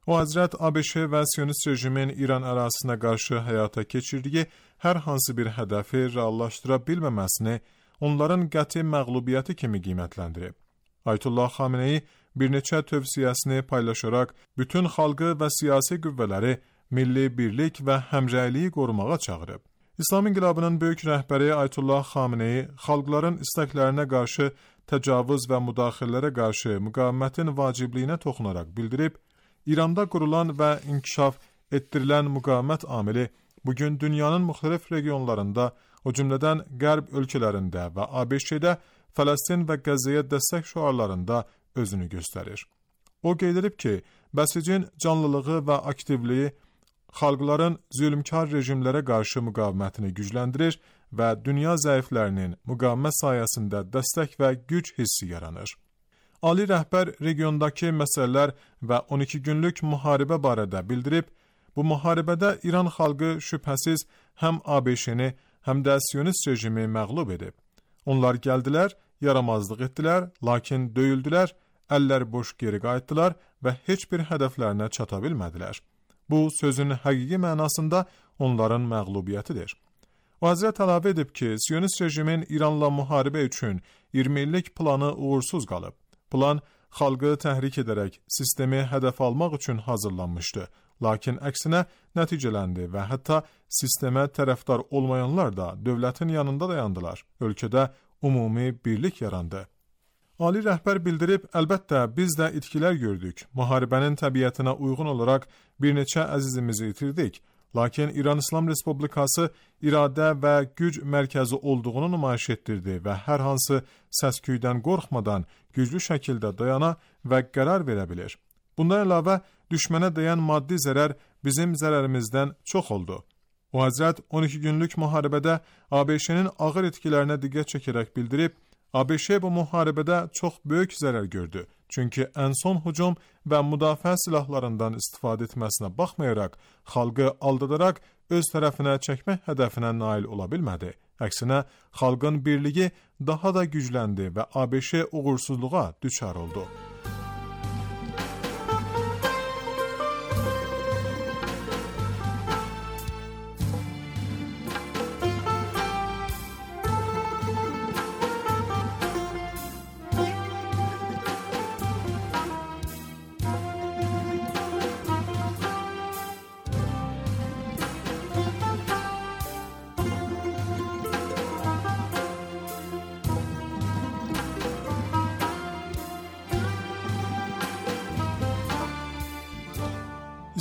O həzrət ABŞ və Siyonist rejimin İran ərazisinə qarşı həyata keçirdiyi hər hansı bir hədəfi reallaşdıra bilməməsini onların qəti məğlubiyyəti kimi qiymətləndirib. Ayətullah Xameneyi bir neçə tövsiyəsini paylaşaraq bütün xalqı və siyasi qüvvələri milli birlik və həmrəyliyi qorumağa çağırıb. İslam İnqilabının böyük rəhbəri Ayətullah Xameneyi xalqların istəklərinə qarşı təcavüz və müdaxilələrə qarşı müqavimətin vacibliyinə toxunaraq bildirib, İranda qurulan və inkişaf etdirilən müqavimət amili bugün dünyanın müxtəlif regionlarında, o cümlədən qərb ölkələrində və ABŞ-də Fələstin və Qəzzəyə dəstək şüarlarında özünü göstərir. O qeyd edib ki, bəsicin canlılığı və aktivliyi xalqların zülmkar rejimlərə qarşı müqavimətini gücləndirir və dünya zəiflərinin müqavimət sayəsində dəstək və güc hissi yaranır. Ali rəhbər regiondakı məsələlər və 12 günlük müharibə barədə bildirib, bu müharibədə İran xalqı şübhəsiz həm ABŞ-ni, həm də Siyonist rejimi məğlub edib. Onlar gəldilər, yaramazlıq etdilər, lakin döyüldülər, əllər boş geri qayıtdılar və heç bir hədəflərinə çata bilmədilər. Bu, sözün həqiqi mənasında onların məğlubiyyətidir. O Həzrət əlavə edib ki, Siyonist rejimin İranla müharibə üçün 20 illik planı uğursuz qalıb. Plan, xalqı təhrik edərək sistemi hədəf almaq üçün hazırlanmışdı. Lakin əksinə nəticələndi və hətta sistemə tərəfdar olmayanlar da dövlətin yanında dayandılar. Ölkədə ümumi birlik yarandı. Ali rəhbər bildirib, əlbəttə biz də itkilər gördük. Müharibənin təbiətinə uyğun olaraq bir neçə əzizimizi itirdik. Lakin İran İslam Respublikası iradə və güc mərkəzi olduğunu nümayiş etdirdi və hər hansı səsküydən qorxmadan güclü şəkildə dayana və qərar verə bilir. Bundan əlavə, düşmənə dəyən maddi zərər bizim zərərimizdən çox oldu. O Həzrət 12 günlük müharibədə ABŞ-nin ağır etkilərinə diqqət çəkərək bildirib, ABŞ bu müharibədə çox böyük zərər gördü. Çünki ən son hücum və müdafiə silahlarından istifadə etməsinə baxmayaraq, xalqı aldadaraq öz tərəfinə çəkmək hədəfinə nail ola bilmədi. Əksinə, xalqın birliyi daha da gücləndi və ABŞ uğursuzluğa düçar oldu.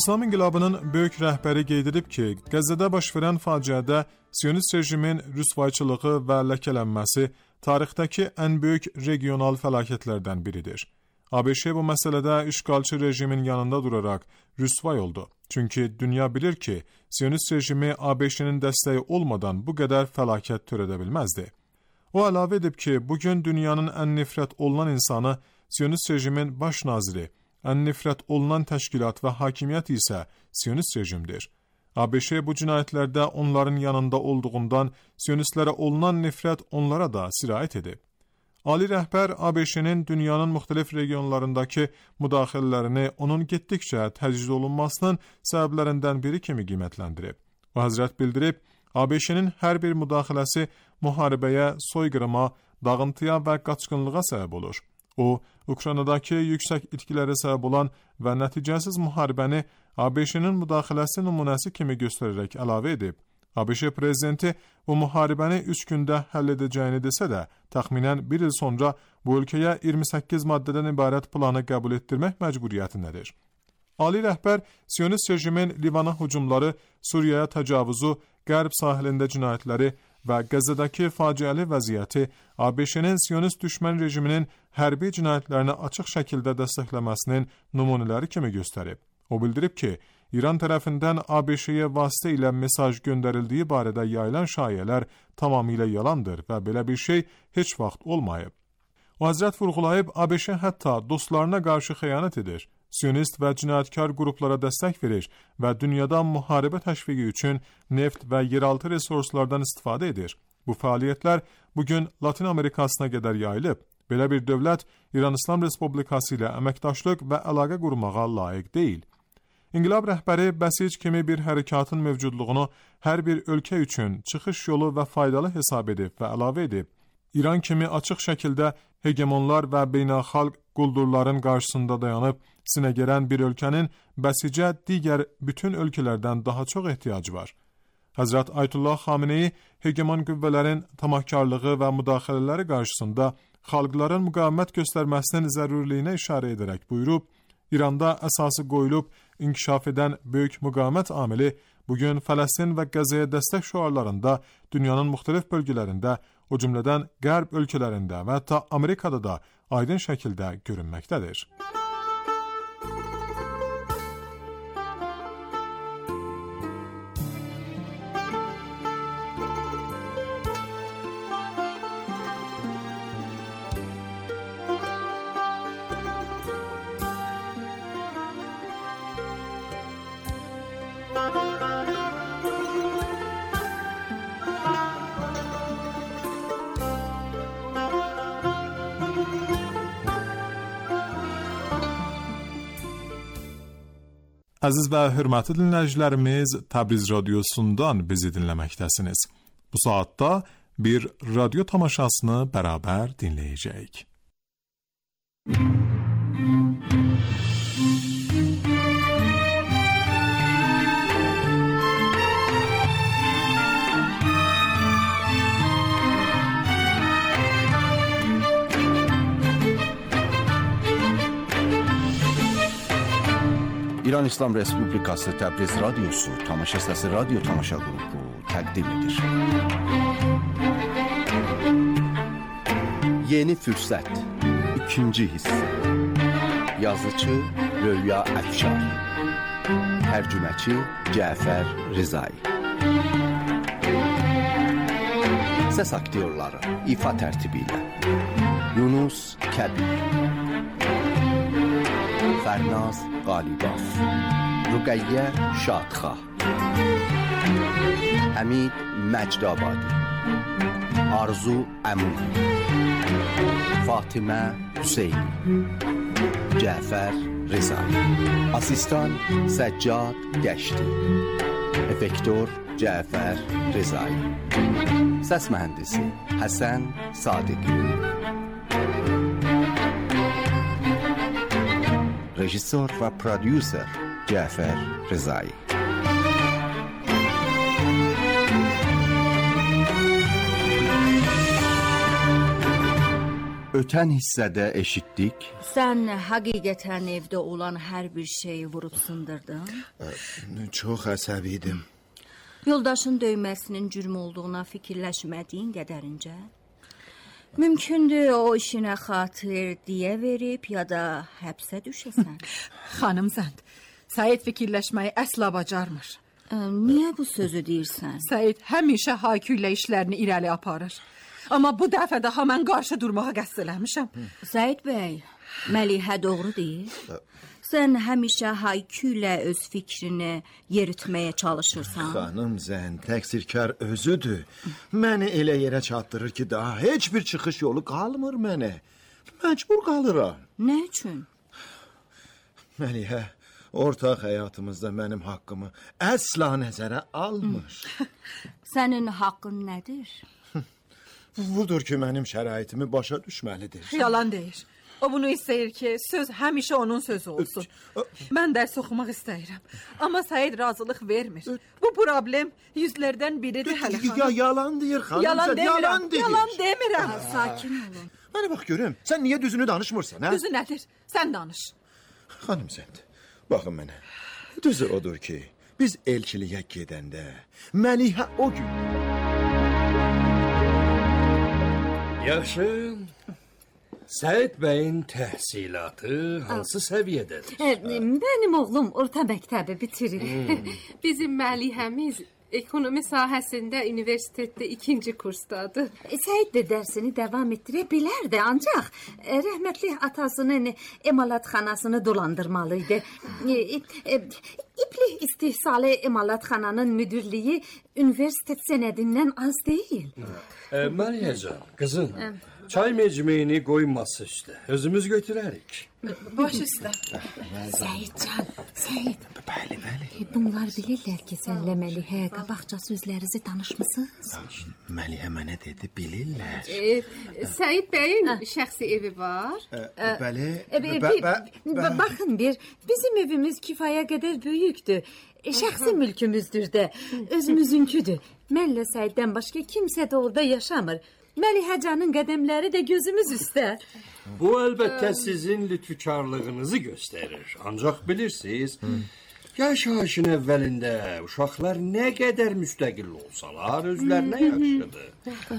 İslam İnqilabının böyük rəhbəri qeyd edib ki, Qəzzədə baş verən faciədə Siyonist rejimin rüsvayçılığı və ləkələnməsi tarixdəki ən böyük regional fəlakətlərdən biridir. ABŞ bu məsələdə işğalçı rejimin yanında duraraq rüsvay oldu. Çünki dünya bilir ki, Siyonist rejimi ABŞ-nin dəstəyi olmadan bu qədər fəlakət törədə bilməzdi. O əlavə edib ki, bugün dünyanın ən nifrət olunan insanı Siyonist rejimin baş naziri, ən nifrət olunan təşkilat və hakimiyyət isə Siyonist rejimdir. ABŞ bu cinayətlərdə onların yanında olduğundan Siyonistlərə olunan nifrət onlara da sirayət edib. Ali rəhbər ABŞ-nin dünyanın müxtəlif regionlarındakı müdaxilələrini onun getdikcə təcrid olunmasının səbəblərindən biri kimi qiymətləndirib. O Həzrət bildirib, ABŞ-nin hər bir müdaxiləsi müharibəyə, soyqırıma, dağıntıya və qaçqınlığa səbəb olur. O, Ukraynadakı yüksək itkilərə səbəb olan və nəticəsiz müharibəni ABŞ-nin müdaxiləsi nümunəsi kimi göstərərək əlavə edib. ABŞ prezidenti bu müharibəni 3 gündə həll edəcəyini desə də, təxminən 1 il sonra bu ölkəyə 28 maddədən ibarət planı qəbul etdirmək məcburiyyətindədir. Ali rəhbər Siyonist rejimin Livana hücumları, Suriyaya təcavüzü, Qərb sahilində cinayətləri və Qəzzədəki faciəli vəziyyəti ABŞ-nin Siyonist düşmən rejiminin hərbi cinayətlərini açıq şəkildə dəstəkləməsinin nümunələri kimi göstərib. O bildirib ki, İran tərəfindən ABŞ-yə vasitə ilə mesaj göndərildiyi barədə yayılan şayələr tamamilə yalandır və belə bir şey heç vaxt olmayıb. O Həzrət vurğulayıb, ABŞ hətta dostlarına qarşı xəyanət edir, Siyonist və cinayətkar qruplara dəstək verir və dünyada müharibə təşviqi üçün neft və yeraltı resurslardan istifadə edir. Bu fəaliyyətlər bugün Latin Amerikasına qədər yayılıb. Belə bir dövlət İran İslam Respublikası ilə əməkdaşlıq və əlaqə qurmağa layiq deyil. İnqilab rəhbəri bəsic kimi bir hərəkatın mövcudluğunu hər bir ölkə üçün çıxış yolu və faydalı hesab edib və əlavə edib. İran kimi açıq şəkildə hegemonlar və beynəlxalq quldurların qarşısında dayanıb sinə gərən bir ölkənin bəsicə digər bütün ölkələrdən daha çox ehtiyacı var. Həzrət Ayətullah Xameneyi hegemon qüvvələrin tamahkarlığı və müdaxilələri qarşısında xalqların müqavimət göstərməsinin zərurliyinə işarə edərək buyurub, İranda əsası qoyulub inkişaf edən böyük müqavimət amili bugün Fələstin və Qəzzəyə dəstək şüarlarında dünyanın müxtəlif bölgələrində o cümlədən Qərb ölkələrində və hətta Amerikada da aydın şəkildə görünməkdədir. Əziz və hörmətli dinləyicilərimiz, Təbriz radiosundan bizi dinləməkdəsiniz. Bu saatda bir radyo tamaşasını bərabər dinləyəcəyik. İran İslam Respublikası Təbriz Radyosu Tamaşa Səsi Radyo Tamaşa Qrupu təqdim edir. Yeni Fürsət 2-ci hissə. Yazıcı Röya Əfşar, tərcüməçi Cəfər Rizai. Səs aktyorları ifa tərtibi ilə Yunus Kəbir, Fərnaz Qalibov, Rüqəyyə Şadxah, Həmid Məcdabadi, Arzu Əmud, Fatimə Hüseyni, Cəfər Rizai, asistan Səccad Gəşti, effektor Cəfər Rizai, səs mühəndisi Həsən Sadiqi, rejissor və prodüser Cəfər Rizai. Ötən hissədə eşitdik. Sən həqiqətən evdə olan hər bir şeyi vurub sındırdın? Çox əsəbiydim. Yoldaşın döyməsinin cürm olduğuna fikirləşmədiyin qədərincə? Mümkündür o işinə xatir deyə verib ya da həbsə düşəsən. Xanım Zənd, Səid fikirləşməyi əsla bacarmır. Niyə bu sözü deyirsən? Səid həmişə Haykü ilə işlərini irəli aparır. Amma bu dəfə daha mən qarşı durmağa qəsd eləmişəm. Səid bəy, Məlihə doğru deyir. Sən həmişə Haykü ilə öz fikrini yeritməyə çalışırsan. Xanım Zənd, təqsirkar özüdür. Məni elə yerə çatdırır ki, daha heç bir çıxış yolu qalmır mənə. Məcbur qalıram. Nə üçün? Məlihə, ortaq həyatımızda mənim haqqımı əsla nəzərə almır. Sənin haqqın nədir? Budur ki, mənim şəraitimi başa düşməlidir. Yalan deyir. O bunu istəyir ki, söz həmişə onun sözü olsun. Mən dərs oxumaq istəyirəm. Amma Səid razılıq vermir. Bu problem yüzlərdən biridir hələ xanım. Ya yalan deyir xanım. Yalan demirəm. Yalan demirəm. Sakin olun. Mənə bax görüm, sən niyə düzünü danışmırsan, hə? Düzü nədir? Sən danış. Xanım Zənd, baxın mənə. Düzü odur ki, biz elçiliyə gedəndə Məlihə o gün... Yaxşı. Səid bəyin təhsilatı hansı səviyyədədir? Mənim oğlum orta məktəbi bitirir. Bizim Məlihəmiz ekonomi sahəsində universitetdə 2-ci kursdadır. Səid də dərsini davam etdirə bilərdi, ancaq rəhmətli atasının emalatxanasını dolandırmalıydı. İpli istihsalı emalatxananın müdürlüyü universitet sənədindən az deyil. Məlihəcan, qızım, çay mecmeyini qoyması üstə. Özümüz götürərik. Baş üstə. Səidcan, Səid. Bəli. Bunlar bilirlər ki, sənlə Məlihə qabaqca sözlərinizi danışmısınız? Məlihə mənə dedi, bilirlər. Səid bəyin şəxsi evi var. Bəli. Baxın bir, bizim evimiz kifaya qədər böyükdür. Şəxsi mülkümüzdür də, özümüzünküdür. Mənlə Səiddən başqa kimsə də orada yaşamır. Məlihəcanın qədəmləri də gözümüz üstə. Bu əlbəttə sizin lütfükarlığınızı göstərir. Ancaq bilirsiniz, Yaşayışın əvvəlində uşaqlar nə qədər müstəqil olsalar, özlərinə yaxşıdır.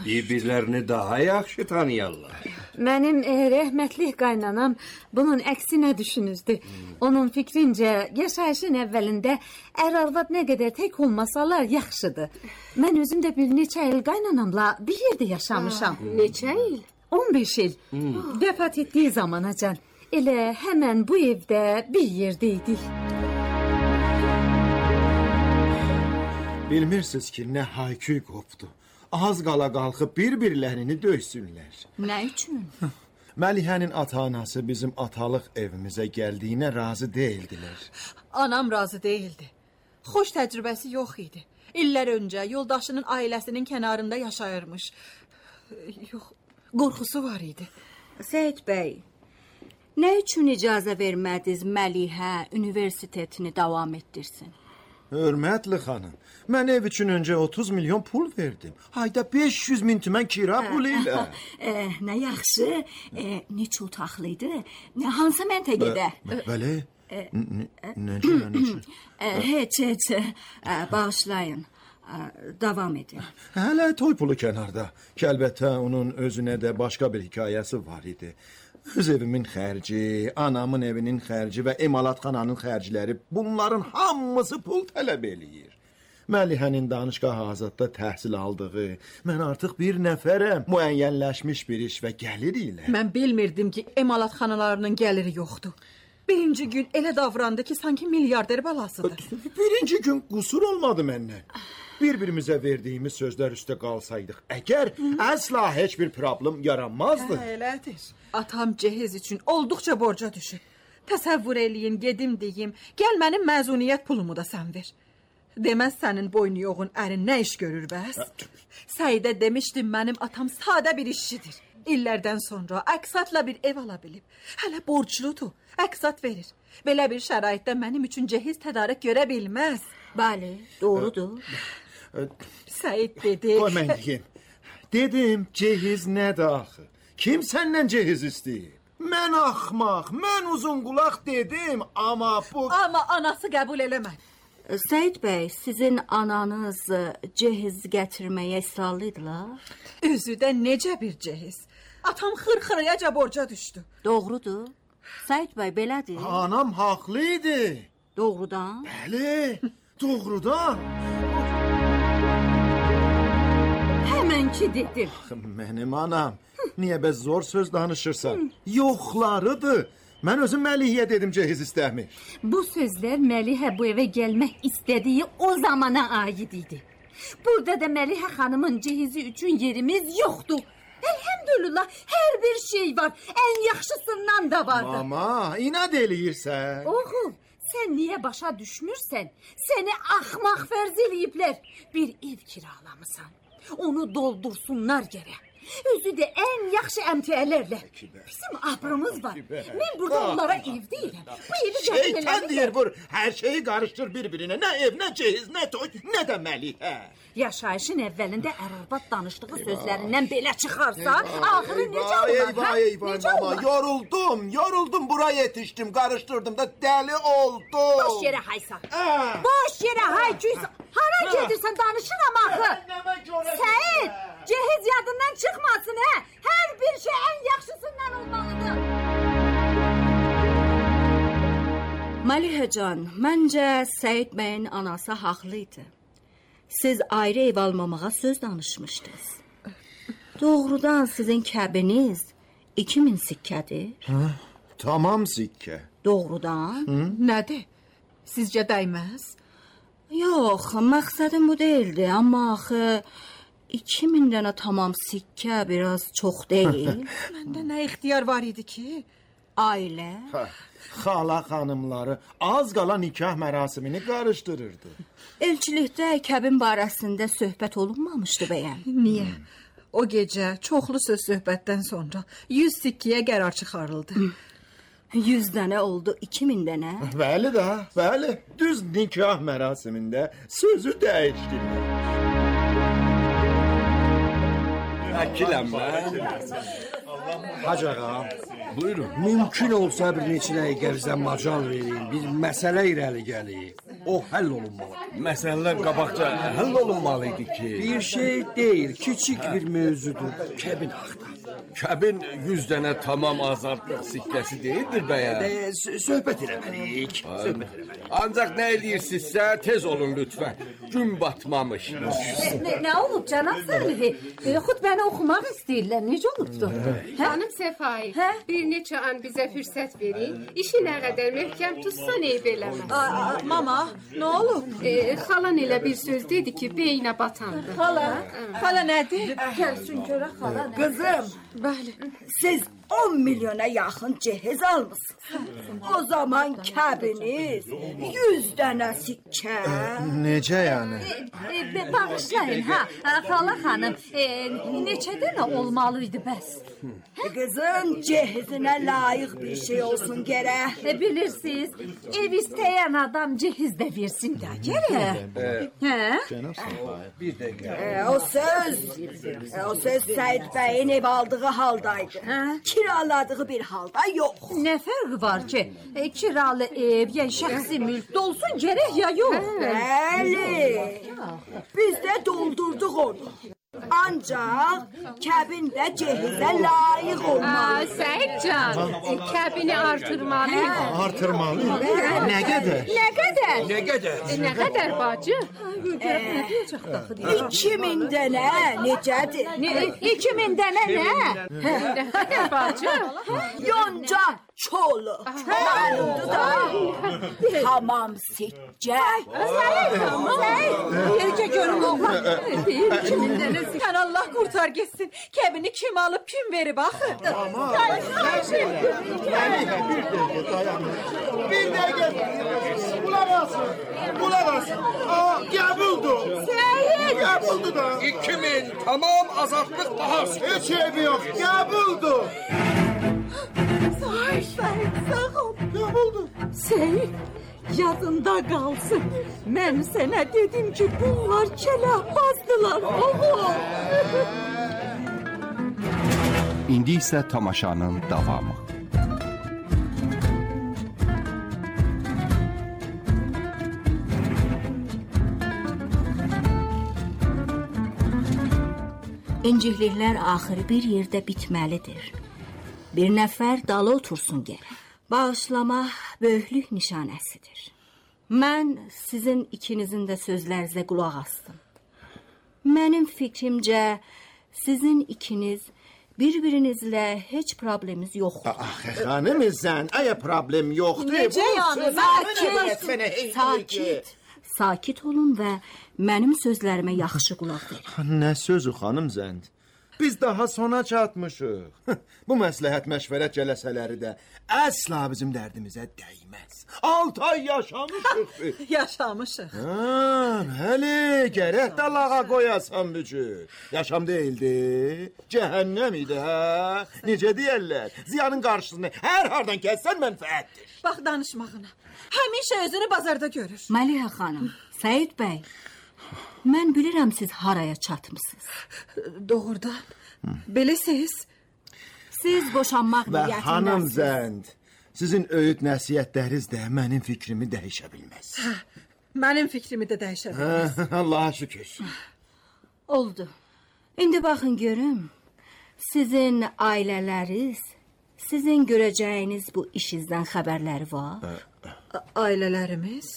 Bir-birlərini daha yaxşı tanıyarlar. Mənim rəhmətli qaynanam bunun əksinə düşünüzdü. Onun fikrincə, yaşayışın əvvəlində ər-arvad nə qədər tək olmasalar yaxşıdır. Mən özüm də bir neçə il qaynanamla bir yerdə yaşamışam. Neçə il? 15 il. Vəfat etdiyi zamanacan. Elə həmən bu evdə bir yerdəydik. Bilmirsiniz ki, nə hayküy qopdu. Az qala qalxıb bir-birlərini döysünlər. Nə üçün? Məlihənin ata-anası bizim atalıq evimizə gəldiyinə razı deyildilər. Anam razı değildi. Xoş təcrübəsi yox idi. İllər öncə yoldaşının ailəsinin kənarında yaşayırmış. Yox, qorxusu var idi. Seyid bəy, nə üçün icazə vermədiniz Məlihə universitetini davam etdirsin? Hörmətli xanım, mən ev üçün öncə 30 milyon pul verdim. Ayda 500 min tümən kira pulu ilə. Nə yaxşı, neçə otaqlıydı, hansı məntəqədə? Bəli, necə? Heç, bağışlayın, davam edin. Hələ toy pulu kənarda. Ki, əlbəttə, onun özünə də başqa bir hekayəsi var idi. Öz evimin xərci, anamın evinin xərci və emalatxananın xərcləri, bunların hamısı pul tələb eləyir. Məlihənin danışqah azadda təhsil aldığı, mən artıq bir nəfərəm, müəyyənləşmiş bir iş və gəlir ilə. Mən bilmirdim ki, emalatxanalarının gəliri yoxdur. Birinci gün elə davrandı ki, sanki milyarder balasıdır. Birinci gün qusur olmadı məndən. Bir-birimizə verdiyimiz sözlər üstə qalsaydıq, əgər əsla heç bir problem yaranmazdı. Elədir. Atam cehiz üçün olduqca borca düşüb. Təsəvvür eləyin, gedim deyim, gəl mənim məzuniyyət pulumu da sən ver. Deməz sənin boynu yoğun ərin nə iş görür bəs? Səidə demişdim, mənim atam sadə bir işçidir. İllərdən sonra əksatla bir ev ala bilib. Hələ borcludur, əksat verir. Belə bir şəraitdə mənim üçün cehiz tədarük görə bilməz. Bəli, doğrudur. Səid dedi. Qoy mən deyim. Dedim, cehiz nədir axı? Kim səndən cehiz istəyib? Mən axmaq, mən uzun qulaq dedim, amma bu... Amma anası qəbul eləmədi. Səid bəy, sizin ananız cehiz gətirməyə israrlıydılar? Özü də necə bir cehiz? Atam xırxırayaca borca düşdü. Doğrudur. Səid bəy, belədir. Anam haqlıydı. Doğrudan? Bəli, doğrudan. Həmən ki dedim. Mənim anam, niyə bəz zor söz danışırsan? Yoxlarıdır. Mən özüm Məlihəyə dedim cehiz istəmir. Bu sözlər Məlihə bu evə gəlmək istədiyi o zamana aid idi. Burada da Məlihə xanımın cehizi üçün yerimiz yoxdur. Elhamdülillah, hər bir şey var. Ən yaxşısından da vardı. Mama, inad eləyirsən. Oğul, sən niyə başa düşmürsən? Səni axmaq fərz eləyiblər. Bir ev kiralamısan. Onu doldursunlar gərək. Özü də ən yaxşı əmtiələrlə. Bizim abrımız var. Mən burada onlara ev deyirəm. Bu evi şeytan deyir vur. Hər şeyi qarışdır bir-birinə. Nə ev, nə cehiz, nə toy, nə də Məlihə. Yaşayışın əvvəlində ər-arvad danışdığı sözlərindən belə çıxarsa, axırı necə olar? Necə olar? Yoruldum, bura yetişdim, qarışdırdım da dəli oldum. Boş yerə haysan. Boş yerə hayküysən. Hara gedirsən, danışıram axı. Səid, cehiz yadından çıxmasın, hə? Hər bir şey ən yaxşısından olmalıdır. Məlihəcan, məncə Səid bəyin anası haqlıydı. Siz ayrı ev almamağa söz danışmışdınız. Doğrudan sizin kəbiniz 2000 sikkədir. Tamam sikkə. Doğrudan? Nədir? Sizcə dəyməz? Yox, məqsədim bu değildi. Amma axı 2000 dənə tamam sikkə biraz çox deyil. Məndə nə ixtiyar var idi ki? Ailə. Xala xanımları az qala nikah mərasimini qarışdırırdı. Elçilikdə kəbin barəsində söhbət olunmamışdı bəyəm. Niyə? O gecə çoxlu söz söhbətdən sonra 100 sikkiyə qərar çıxarıldı. 100 dənə oldu, 2000 dənə. Bəli də, bəli. Düz nikah mərasimində sözü dəyişdilər. Əkiləm Hacı ağa, buyurun. Mümkün olsa bir neçə dəqiqə bizə macal verin, bir məsələ irəli gəlir. o həll olunmalı. Məsələlər qabaqca həll olunmalıydı ki. Bir şey deyil, kiçik bir mövzudur. Kəbin axtar. Kəbin 100 dənə tamam azadlıq sikkəsi deyildir bəyəm. Söhbət eləməliyik. Ancaq nə edirsinizsə tez olun lütfən. Gün batmamış. Nə olub cənab Salihi? Xutbəni oxumaq istəyirlər. Necə olubdu? Xanım Səfai, bir neçə an bizə fürsət verin. İşi nə qədər möhkəm tutsan eyb eləməz. Mama, nə olub? Xalan elə bir söz dedi ki, beynə batandı. Xala nədir? Gəlsin görə xala. Qızım, Bəli. siz 10 milyona yaxın cehiz almışsınız. O zaman kəbiniz 100 dənə sikkə. Necə yəni? Bağışlayın, xala xanım. Neçə dənə olmalıydı bəs? Qızım, cehizinə layiq bir şey olsun gərək. Bilirsiniz, ev istəyən adam cehiz də versin də gərək. Bir dəqiqə. O söz Səid bəyin ev aldığı haldaydı. Kiraladığı bir halda yox. Nə fərqi var ki, kiralı ev, ya şəxsi mülk dolsun gərək ya yox? Bəli, biz də doldurduq onu. Ancaq kəbin də cehizə layiq olmalı. Səhidcan, kəbini artırmalıyıq. Artırmalı? Nə qədər? Nə qədər? Nə qədər? Nə qədər bacı? 2000 dənə necədir? 2000 dənə nə? Nə qədər bacı? Yonca çolu. Malumdur da. Tamam siccə. Yercə görüm oğlan. 2000 dənə. Sən Allah qurtar getsin. Kəbini kim alıb, kim verib axı? Bir dəqiqə. Qulaq asın. Qəbuldur. Qəbuldur da. 2000 tamam azadlıq bahası. Heç evi yox. Qəbuldur. Sağ ol. Qəbuldur. Seyid, yadında qalsın. Mən sənə dedim ki, bunlar kəlahbazdılar, oğul. İndi isə tamaşanın davamı. İncikliklər axırı bir yerdə bitməlidir. Bir nəfər dalı otursun gərək. Bağışlamaq böyüklük nişanəsidir. Mən sizin ikinizin də sözlərinizə qulaq asdım. Mənim fikrimcə sizin ikiniz bir-birinizlə heç probleminiz yoxdur. Xanım sən, əgər problem yoxdur. Necə yəni? Sakit olun və mənim sözlərimə yaxşı qulaq verin. Nə sözü xanım sən? Biz daha sona çatmışıq. Bu məsləhət məşvərət cələsələri də əsla bizim dərdimizə dəyməz. 6 ay yaşamışıq. Yaşamışıq. Bəli, gərək də lağa qoyasan bücür. Yaşam deyildi, cəhənnəm idi, hə? Necə deyərlər? Ziyanın qarşısını hər hardan kəssən mənfəətdir. Bax danışmağına. Həmişə özünü bazarda görür. Məlihə xanım, Səid bəy, mən bilirəm siz haraya çatmısınız. Doğrudan. Beləsiz. Siz boşanmaq Və niyyətindəsiniz. xanım Zənd, sizin öyüd nəsiyyətləriniz də mənim fikrimi dəyişə bilməz. Mənim fikrimi də dəyişə bilməz. Allaha şükür. Oldu. İndi baxın görüm. Sizin ailələriniz, sizin görəcəyiniz bu işinizdən xəbərləri var? Ailələrimiz?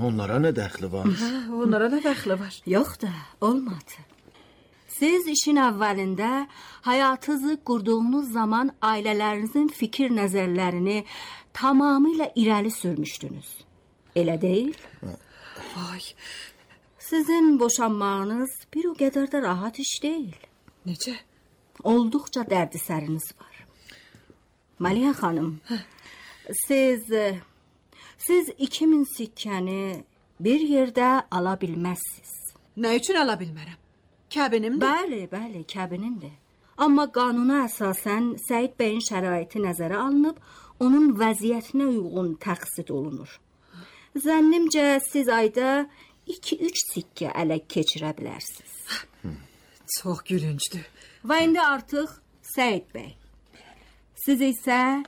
Onlara nə dəxli var? Onlara da dəxli var. Yox da, olmadı. Siz işin əvvəlində həyatınızı qurduğunuz zaman ailələrinizin fikir nəzərlərini tamamilə irəli sürmüşdünüz. Elə deyil? Vay. Sizin boşanmağınız bir o qədər də rahat iş deyil. Necə? Olduqca dərdisəriniz var. Məlihə xanım, siz 2000 sikkəni bir yerdə ala bilməzsiniz. Nə üçün ala bilmərəm? Kəbinimdir? Bəli, kəbinindir. Amma qanuna əsasən Səid bəyin şəraiti nəzərə alınıb, onun vəziyyətinə uyğun təqsid olunur. Zənnimcə siz ayda 2-3 sikkə ələ keçirə bilərsiniz. Çox gülüncdür. Və indi artıq Səid bəy, siz isə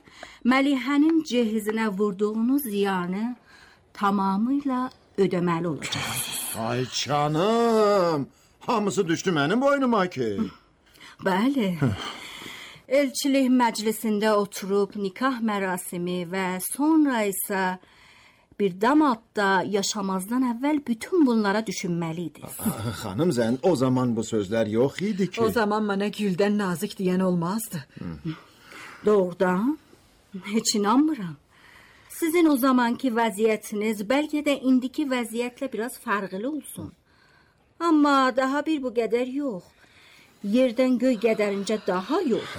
Məlihənin cehizinə vurduğunuz ziyanı tamamıyla ödeməli olacaqsınız. Ay canım, hamısı düşdü mənim boynuma ki. Bəli. Elçilik məclisində oturub nikah mərasimi və sonra isə bir damadda yaşamazdan əvvəl bütün bunlara düşünməliydiniz. Xanım Zən, o zaman bu sözlər yox idi ki. O zaman mənə güldən nazik deyən olmazdı. Doğrudan heç inanmıram. Sizin o zamanki vəziyyətiniz bəlkə də indiki vəziyyətlə biraz fərqli olsun. Amma daha bir bu qədər yox. Yerdən göy qədərincə daha yox.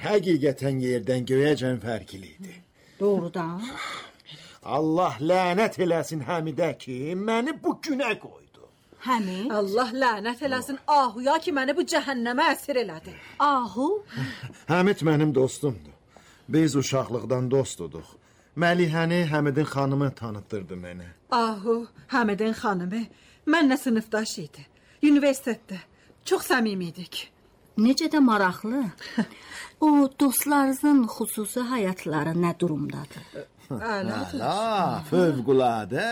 Həqiqətən yerdən göyəcən fərqlidir. Doğrudan. Allah lənət eləsin Həmidə ki, məni bu günə qoydu. Həmid? Allah lənət eləsin Ahuya ki, məni bu cəhənnəmə əsir elədi. Ahu? Həmid mənim dostumdur. Biz uşaqlıqdan dostuduq. Məlihəni Həmidin xanımı tanıtdırdı mənə. Ahu, Həmidin xanımı mənlə sinifdaş idi. Universitetdə. Çox səmimi idik. Necə də maraqlı. O dostlarınızın xüsusi həyatları nə durumdadır? Əla, fövqüladə.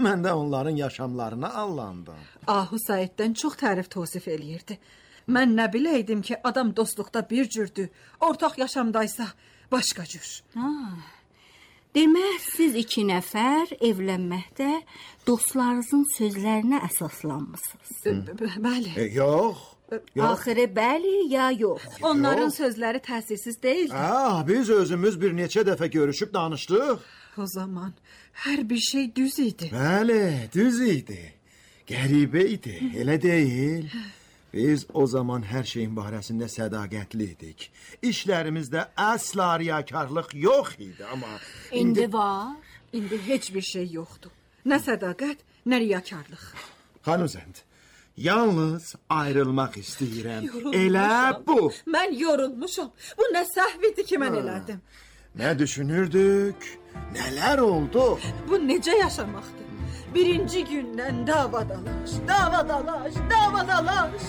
Mən də onların yaşamlarına allandım. Ahu Səiddən çox tərif tosif eləyirdi. Mən nə biləydim ki, adam dostluqda bir cürdür, ortaq yaşamdaysa başqa cür. Demək, siz iki nəfər evlənməkdə dostlarınızın sözlərinə əsaslanmısınız. Bəli. Yox. Axırı bəli ya yox? Onların sözləri təsirsiz deyil. Biz özümüz bir neçə dəfə görüşüb danışdıq. O zaman hər bir şey düz idi. Bəli, düz idi. Qəribə idi, elə deyil. Biz o zaman hər şeyin barəsində sədaqətli idik. İşlərimizdə əsla riyakarlıq yox idi, amma İndi var. İndi heç bir şey yoxdur. Nə sədaqət, nə riyakarlıq. Xanım Zənd, yalnız ayrılmaq istəyirəm. Elə bu. Mən yorulmuşam. Bu nə səhv idi ki, mən elədim. Nə düşünürdük? Nələr oldu? Bu necə yaşamaqdır? Birinci gündən davadalaş, davadalaş, davadalaş.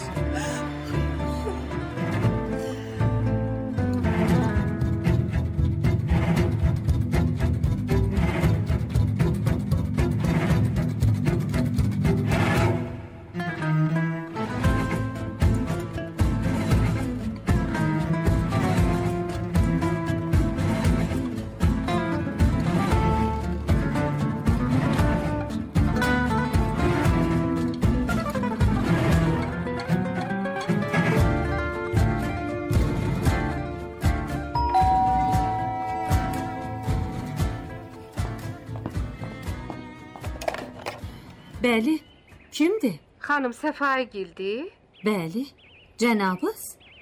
Bəli, kimdir? Xanım Səfaigildir? Bəli, cənabız?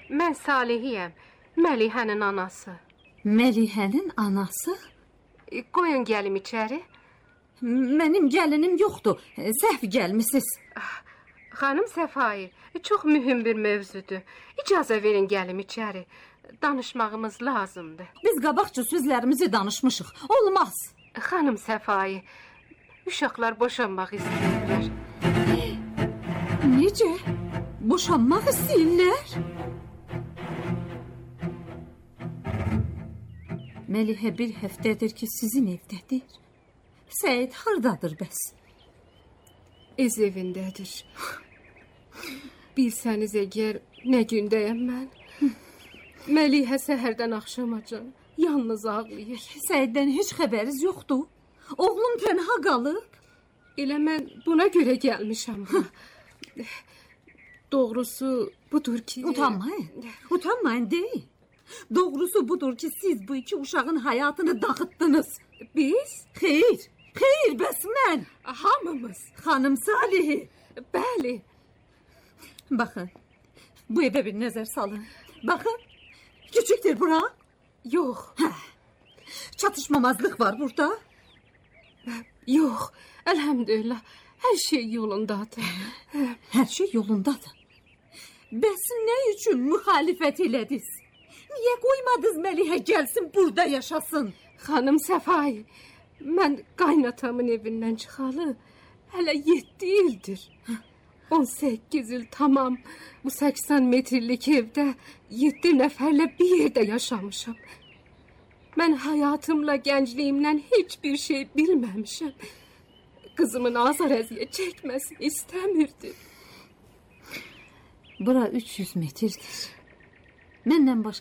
Mən Salihiyəm, Məlihənin anası. Məlihənin anası? Qoyun gəlim içəri. Mənim gəlinim yoxdur, səhv gəlmisiniz. Xanım Səfair, çox mühüm bir mövzudur. İcazə verin gəlim içəri. Danışmağımız lazımdır. Biz qabaqca sözlərimizi danışmışıq, olmaz. Xanım Səfair, uşaqlar boşanmaq istəyirlər. Necə? Boşanmaq istəyirlər? Məlihə bir həftədir ki, sizin evdədir. Səid hardadır bəs? Ez evindədir. Bilsəniz əgər nə gündəyəm mən. Məlihə səhərdən axşamacan yalnız ağlayır. Səiddən heç xəbəriz yoxdur. Oğlum tənha qalıb. Elə mən buna görə gəlmişəm. Doğrusu budur ki... Utanmayın deyin. Doğrusu budur ki, siz bu iki uşağın həyatını dağıtdınız. Biz? Xeyr, bəs mən. Hamımız. Xanım Salihi. Bəli. Baxın, bu evə bir nəzər salın. Baxın, küçükdür bura. Yox. Çatışmamazlıq var burada. Yox, əlhəmdülillah, hər şey yolundadır. Hər şey yolundadır. Bəs nə üçün müxalifət elədiniz? Niyə qoymadınız Məlihə gəlsin, burada yaşasın? Xanım Səfai, mən qaynatamın evindən çıxalı hələ 7 ildir. 18 il tamam bu 80 metrlik evdə 7 nəfərlə bir yerdə yaşamışam. Mən həyatımla, gəncliyimlə heç bir şey bilməmişəm. Qızımın azar əziyyət çəkməsini istəmirdi. Bura 300 metrdir. Məndən başqa